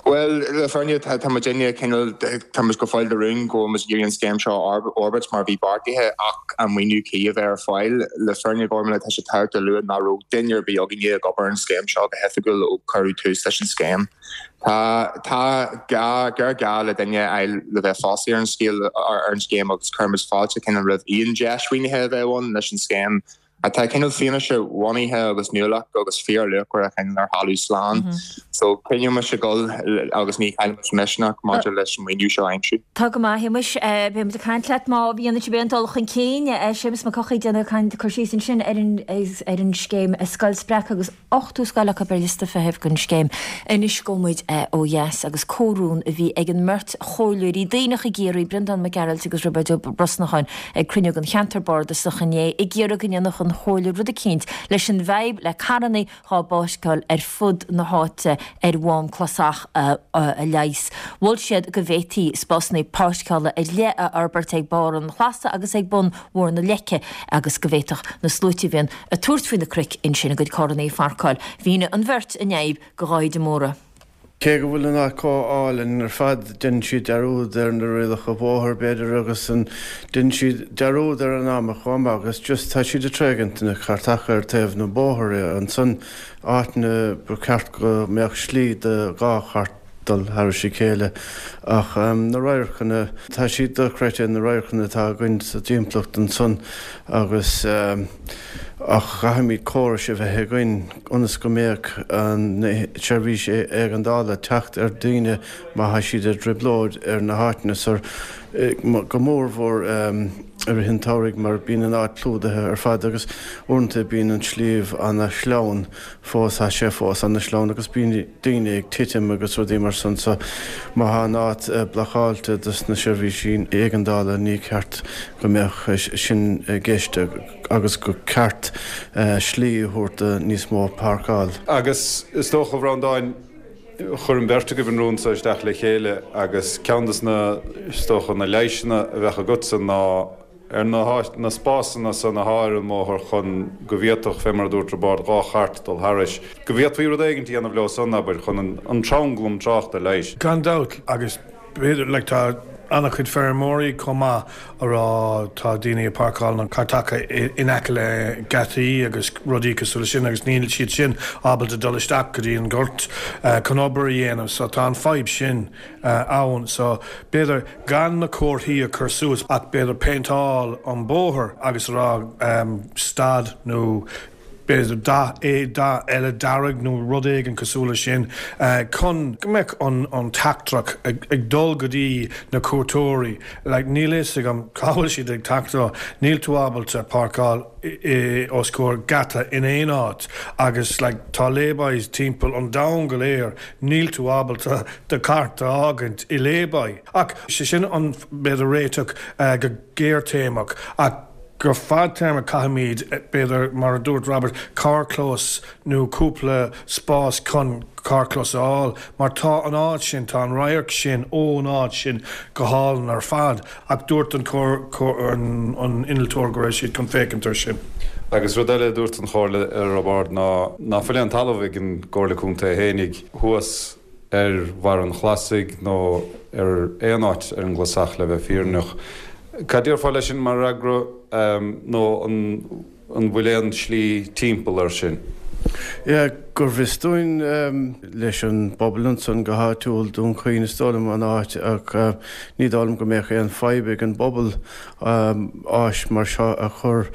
Bhuel, le fírinne, tá muidinne cineál, tá muid go fóill de rún go bhfuil muid ag iarraidh an scéim seo a fhorbairt mar a bhí beartaithe ach an maoiniú cuí a bheith ar fáil. Le fírinne, Gormfhlaith, tá sé tábhachtach a lua nach raibh duine ar bith againne ag obair ar an scéim seo go hoifigiúil ó cuireadh tús leis an scéim. Tá, tá gá, géarghá le duine a fháil le bheith fostaithe ar an scéal, ar an scéim agus cuireann muid fáilte cineál roimh aon deis mhaoinithe a bheadh ann leis an scéim. atá cineál fianaise bhunaithe agus nuálach agus fíorluachmhar a choinneáil ar thalamh slán. So coinneoidh muid ag dul agus ní chaillfidh muid misneach maidir leis an maoiniú seo a aimsiú. Tá go maith, a Shéamais. Beidh muid ag caint leat má dhéanann sibh aon dul chun cinn. Séamus Mac Eochaidh ag déanamh cur síos ansin ar an scéim Scoil Spreagtha agus 80 scoil acu ar liosta feithimh don scéim. Anois gabhfaidh muid ó dheas agus comhrún a bhí ag an mbeirt chomhairleoirí Duibhneach i gCiarraí, Breandán Mac Gearailt agus Roibeard Ó Brosnacháin, ag cruinniú den cheantar bardasach inné ag iarraidh go ndéanfadh an Chomhairle rud eicínt leis an bhfadhb le carrannaí dhá bpáirceáil ar fud na háite ar Mhám Clasach a leigheas. Mhol siad go bhféadfaí spásanna páirceála ar leith a fhorbairt ag barr an Chlasa agus ag bun Bhóthar na Leice agus go bhféadfadh na sluaite a bhíonn ag tabhairt faoi na cnoic ansin a gcuid carrannaí a pharcáil. Mhínigh an bheirt an fhadhb do Dháithí de Mórdha. Cé go bhfuil an áit chomh álainn ar fad, deineann siad dearúd ar na rialacha bóthair, b'fhéidir, agus an, deineann siad dearúd ar an am chomh maith agus just tá siad ag tréigint na cairteacha ar taobh na bóthair ansan, áiteanna ba cheart go mbeadh slí do dhá chairt dul thairis a chéile. Ach na radharcanna, tá siad dochreidte, na radharcanna atá againn sa dtimpeallacht ansan agus ach caithfimid córais a bheith againn ionas go mbeadh an tseirbhís éigeandála teacht ar daoine má thá siad i dtrioblóid ar na háiteanna so, go mór mhór i rith an tsamhraidh mar bíonn an áit plódaithe ar fad agus uaireanta bíonn an sliabh ana shleamhain fós, thá sé fós ana shleamhain agus bíonn daoine ag titim agus rudaí mar san so má thá an áit blocáilte dos na seirbhísí éigeandála ní ceart go mbeadh sin i gceist agus gur ceart slí a thabhairt do níos mó páirceáil. Agus is dócha, a Bhreandáin, chuir an bheirt agaibh an rún seo isteach le chéile agus ceann des na, is dócha, na leighiseanna a bheadh agatsa ná, ar na na spásanna san athá ar an mbóthar chun go bhféadfadh, fé mar a dúirt Roibeárd, dhá chairt dul thairis, go bhféadfaí rud éigint a dhéanamh leo san, abair, chun an tranglam tráchta a leigheas. Gan dabht, agus b'fhéidir, like, tá An-chuid feirmeoirí chomh maith a rá tá daoine ag páirceáil na cairteacha in aice le geataí agus rudaí cosúil leis sin agus níl siad sin ábalta dul isteach go dtí an gort chun obair a dhéanamh so tá an fadhb sin ann so b'fhéidir gan na comharthaí a chur suas ach b'fhéidir péinteáil an bóthar agus a rá stad nó b'fhéidir dath dath eile dearg nó rud éigin cosúil leis sin chun go mbeadh an an teachtaireacht ag ag dul go dtí na cuairteoirí. Like níl a fhios agam cá bhfuil siad ag teacht ó, níl tú ábalta páirceáil i os comhair geata in aon áit agus like tá laybys timpeall an domhain go léir, níl tú ábalta do chairt a fhágaint i layby. Ach sé sin an b'fhéidir réiteach go gearrthéarmach ach go fadtéarmach caithfimid, b'fhéidir, mar a dúirt Robert, carrchlós nó cúpla spás chun carrchlós a fháil mar tá an áit sin, tá an radharc sin ón áit sin go hálainn ar fad ach dúirt an an innealtóir go raibh siad chun féachaint ar sin. Agus rud eile a dúirt an Chomhairle a Roibeárd ná ná fuil aon talamh ag an gComhairle Contae fhéinig thuas ar bharr an Chlasaigh nó ar aon áit ar an gClasach le bheith fírinneach. Cad déarfá leis sin mar fhreagra nó an an bhfuil aon slí timpeall air sin? Yeah, go bhfios dúinn leis an bpobal ansan go háitiúil, Dún Chaoin is dóigh liom an áit ach ní dóigh liom go mbeadh aon fadhb ag an bpobal áis mar seo a chur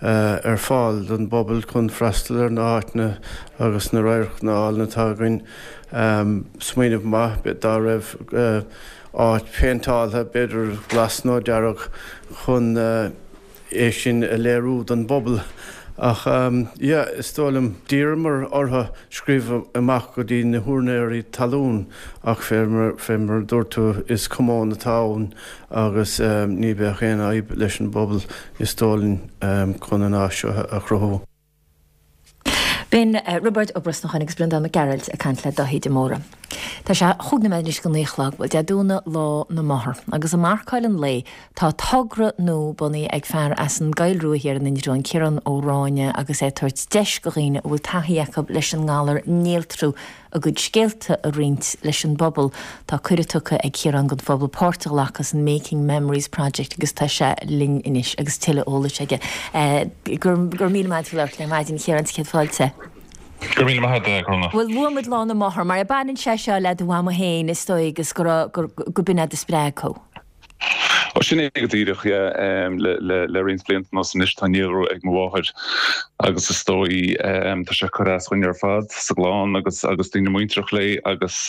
ar fáil don bpobal chun freastal ar na háiteanna agus na radharcanna álainn atá againn. Smaoineamh maith dá raibh áit péinteáltha, b'fhéidir glas nó dearg, chun é sin a léiriú don bpobal. Ach yeah, is dóigh liom, d'iarramar orthu scríobh amach go dtí na húinéirí talún ach fé mar a dúirt tú, is común atá ann agus ní bheadh aon fhadhb leis an bpobal, is dóigh linn, chun an áis seo a chruthú. B'in Roibeárd Ó Brosnacháin agus Breandán Mac Gearailt ag caint le Dáithí de Mórdha. Tá sé chúig nóiméad anois go naoi a chlog. Bhuel, Dé Domhnaigh Lá na Máthar. Agus ag marcáil an lae, tá togra nua bunaithe ag fear as an gCoill Rua thiar in Indreabhán, Ciarán Ó Ráinne, agus é ag tabhairt deis go dhaoine a bhfuil taithí acu leis an ngalar néaltrú a gcuid scéalta a roinnt leis an bpobal. Tá cuireadh tugtha ag Ciarán don phobal páirt a ghlacadh san Making Memories Project agus tá sé linn anois agus tuilleadh eolais aige. Go raibh míle maith agat labhairt linn ar maidin, a Chiaráin, céad fáilte. Go raibh míle maith agat, a Chróna. Bhuel, luaigh muid Lá na Máthar, mar baineann sé seo le do mhama féin is dóigh agus go raibh, go b'in é a spreag thú. Ó sin é go díreach, yeah. Le roinnt blianta anuas anois tá néalrú ag mo mháthair agus is dóigh tá sé ag cur as dhúinn ar fad sa gclann agus agus daoine muinteartha léi agus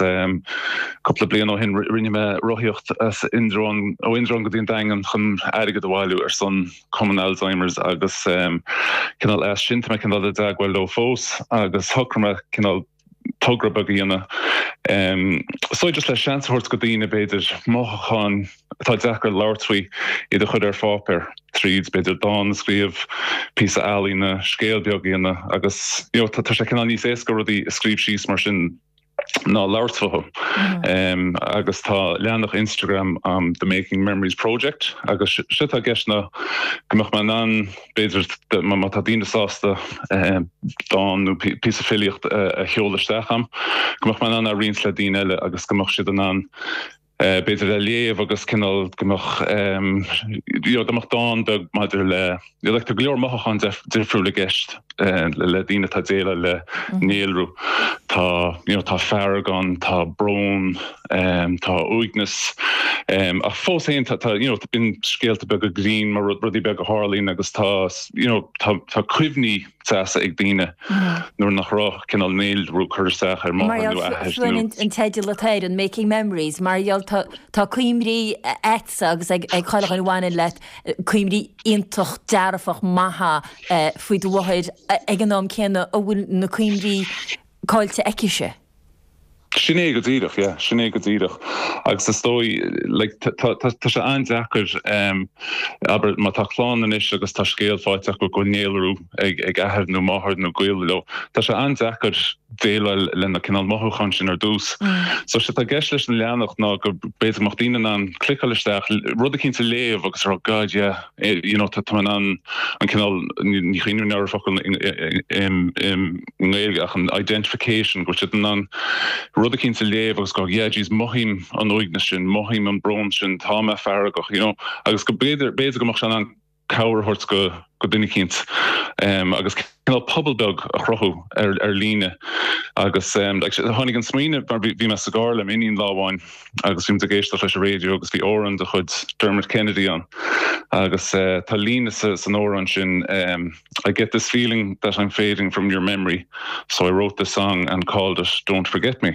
cúpla bliain ó shin rinne mé rothaíocht as Indreabhán, ó Indreabhán go dtí an Daingean chun airgead a bhailiú ar son Cumann Alzheimer's agus cineál as sin tá mé cineál i dteagmháil leo fós agus shocraigh mé cineál togra beag a dhéanamh. So just le seans a thabhairt go daoine b'fhéidir mothúcháin atá deacair labhairt faoi, iad a chur ar pháipéar tríd b'fhéidir dán a scríobh, píosa ealaíne, scéal beag a dhéanamh agus you know tá sé cineál níos éasca rudaí a scríobh síos mar sin ná labhairt fúthu. Agus tá leathanach Instagram um The Making Memories Project agus sé atá i gceist ná go mbeadh mé in ann B'fhéidir, má tá daoine sásta dán nó píosa filíocht a sheoladh isteach a'm, go mbeadh mé in ann é a roinnt le daoine eile agus go mbeadh siad in ann b'fhéidir é a léamh agus cineál go mbeadh you know dá mbeadh dán beag maidir le you know like tá go leor mothúcháin difriúil i gceist le daoine atá ag déileáil le néalrú. Tá you know tá fearg ann, tá brón, Tá uaigneas, ach fós féin tá, you know, bíonn scéalta beaga grinn mar rudaí beaga a tharlaíonn agus tá, you know, tá, tá cuimhní deasa ag daoine nuair nach raibh cineál néalrú ag cur isteach ar máthair nó athair nó. An teideal atá air, an Making Memories, mar gheall tá, tá cuimhní a'dsa agus ag, ag chuile dhuine a bhaineann leat, cuimhní iontach dearfach maithe faoi do mháthair ag an am céanna a bhfuil na cuimhní caillte aicise. Sin é go díreach, yeah, sin é go díreach. Agus is dóigh, like, tá, tá, tá sé an-deacair, em, abair, má tá clann anois agus tá scéal faighte acu go bhfuil néalrú ag, ag athair nó máthair nó gaol leo, tá sé an-deacair déileáil le na cineál mothúcháin sin ar dtús. So sé atá i gceist leis an leathanach ná go b'fhéidir go mbeadh daoine in ann cliceáil isteach, rud eicínt a léamh agus a rá God, yeah, you know, tá mé in ann an cineál, ní chuimhním ar an focal i nGaeilge ach an identification, go bhfuil siad in ann. rud eicínt a léamh agus go yeah jeez mothaím an uaigneas sin, mothaím an brón sin, tá mé feargach, you know agus go b'fhéidir, b'fhéidir go mbeadh sé in ann cabhair a thabhairt go go duine eicínt agus cineál pobal beag a chruthú ar ar líne agus tháinig an smaoineamh mar bhí mé sa gcarr le m'iníon lá amháin agus bhí muid ag éisteacht leis an raidió agus bhí amhrán de chuid Dermot Kennedy ann agus tá líne sa san amhrán sin I get this feeling that I'm fading from your memory so I wrote this song and called it Don't Forget Me.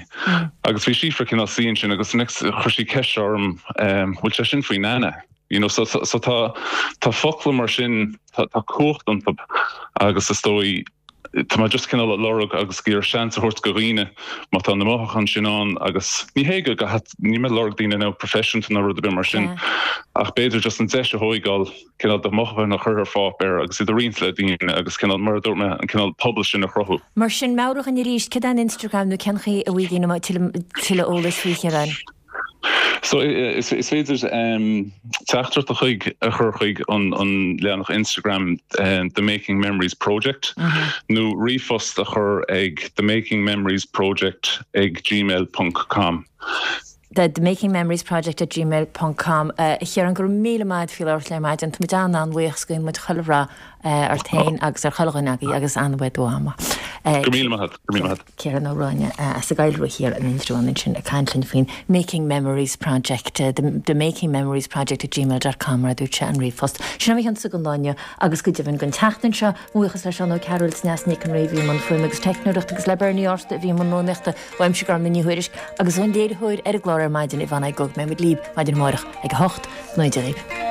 Agus bhí Síofra cineál suí ansin agus next chuir sí ceist orm bhfuil sé sin faoi Nana? You know, so, so tá, tá focla mar sin, tá, tá cumhacht iontu agus is dóigh, tá mé just cineál ag lorg agus ag iarraidh seans a thabhairt go dhaoine má tá na mothúcháin sin ann agus ní hé go, níl mé ag lorg daoine nó proifisiúnta nó rud ar bith mar sin ach b'fhéidir just an deis a thóigeáil cineál do mhothúcháin a chur ar pháipéar agus iad a roinnt le daoine agus cineál, mar a dúirt mé, an cineál pobal sin a chruthú. Mar sin, meabhraigh dhúinn arís, céard é an Instagram nó cén chaoi a bhfaighidh daoine tuilleadh eolais faoi, a Chiaráin? So is féidir teachtaireacht a chuig a chur chuig an leathanach Instagram The Making Memories Project nó ríomhphost a chur ag The Making Memories Project ag gmail ponc com. The Making Memories Project at gmail ponc com. A Chiaráin, go raibh míle maith agat faoi labhairt linn ar maidin. Tá muid an-an-bhuíoch 's guíonn muid chuile rath ort féin agus ar chuile dhuine agaibh agus an-mhaith ama. Go raibh míle maith agat. Go raibh míle maith agat. Ciarán Ó Ráinne as an gCoill Rua Thiar in Indreabhán ansin ag caint linn faoin Making Memories Project, the Making Memories Project at gmail dot com mar a dúirt sé an ríomhphost. Sin é mo chionsa don lá inniu agus go deimhin don tseachtain seo. Mo bhuíochas le Seán Ó Cearúil sa Neas Nic an Rí a bhí i mbun fuaime agus teicneoireachta agus le Bernie Arta a bhí i mbun rúnaíochta. Uaimse Gormlaith Ní Thuairisg agus ón léiritheoir ar an gclár ar maidin, Yvonne Gug. Beidh muid libh maidin amárach ag a 8. Go ngnóthaí Dia dhaoibh.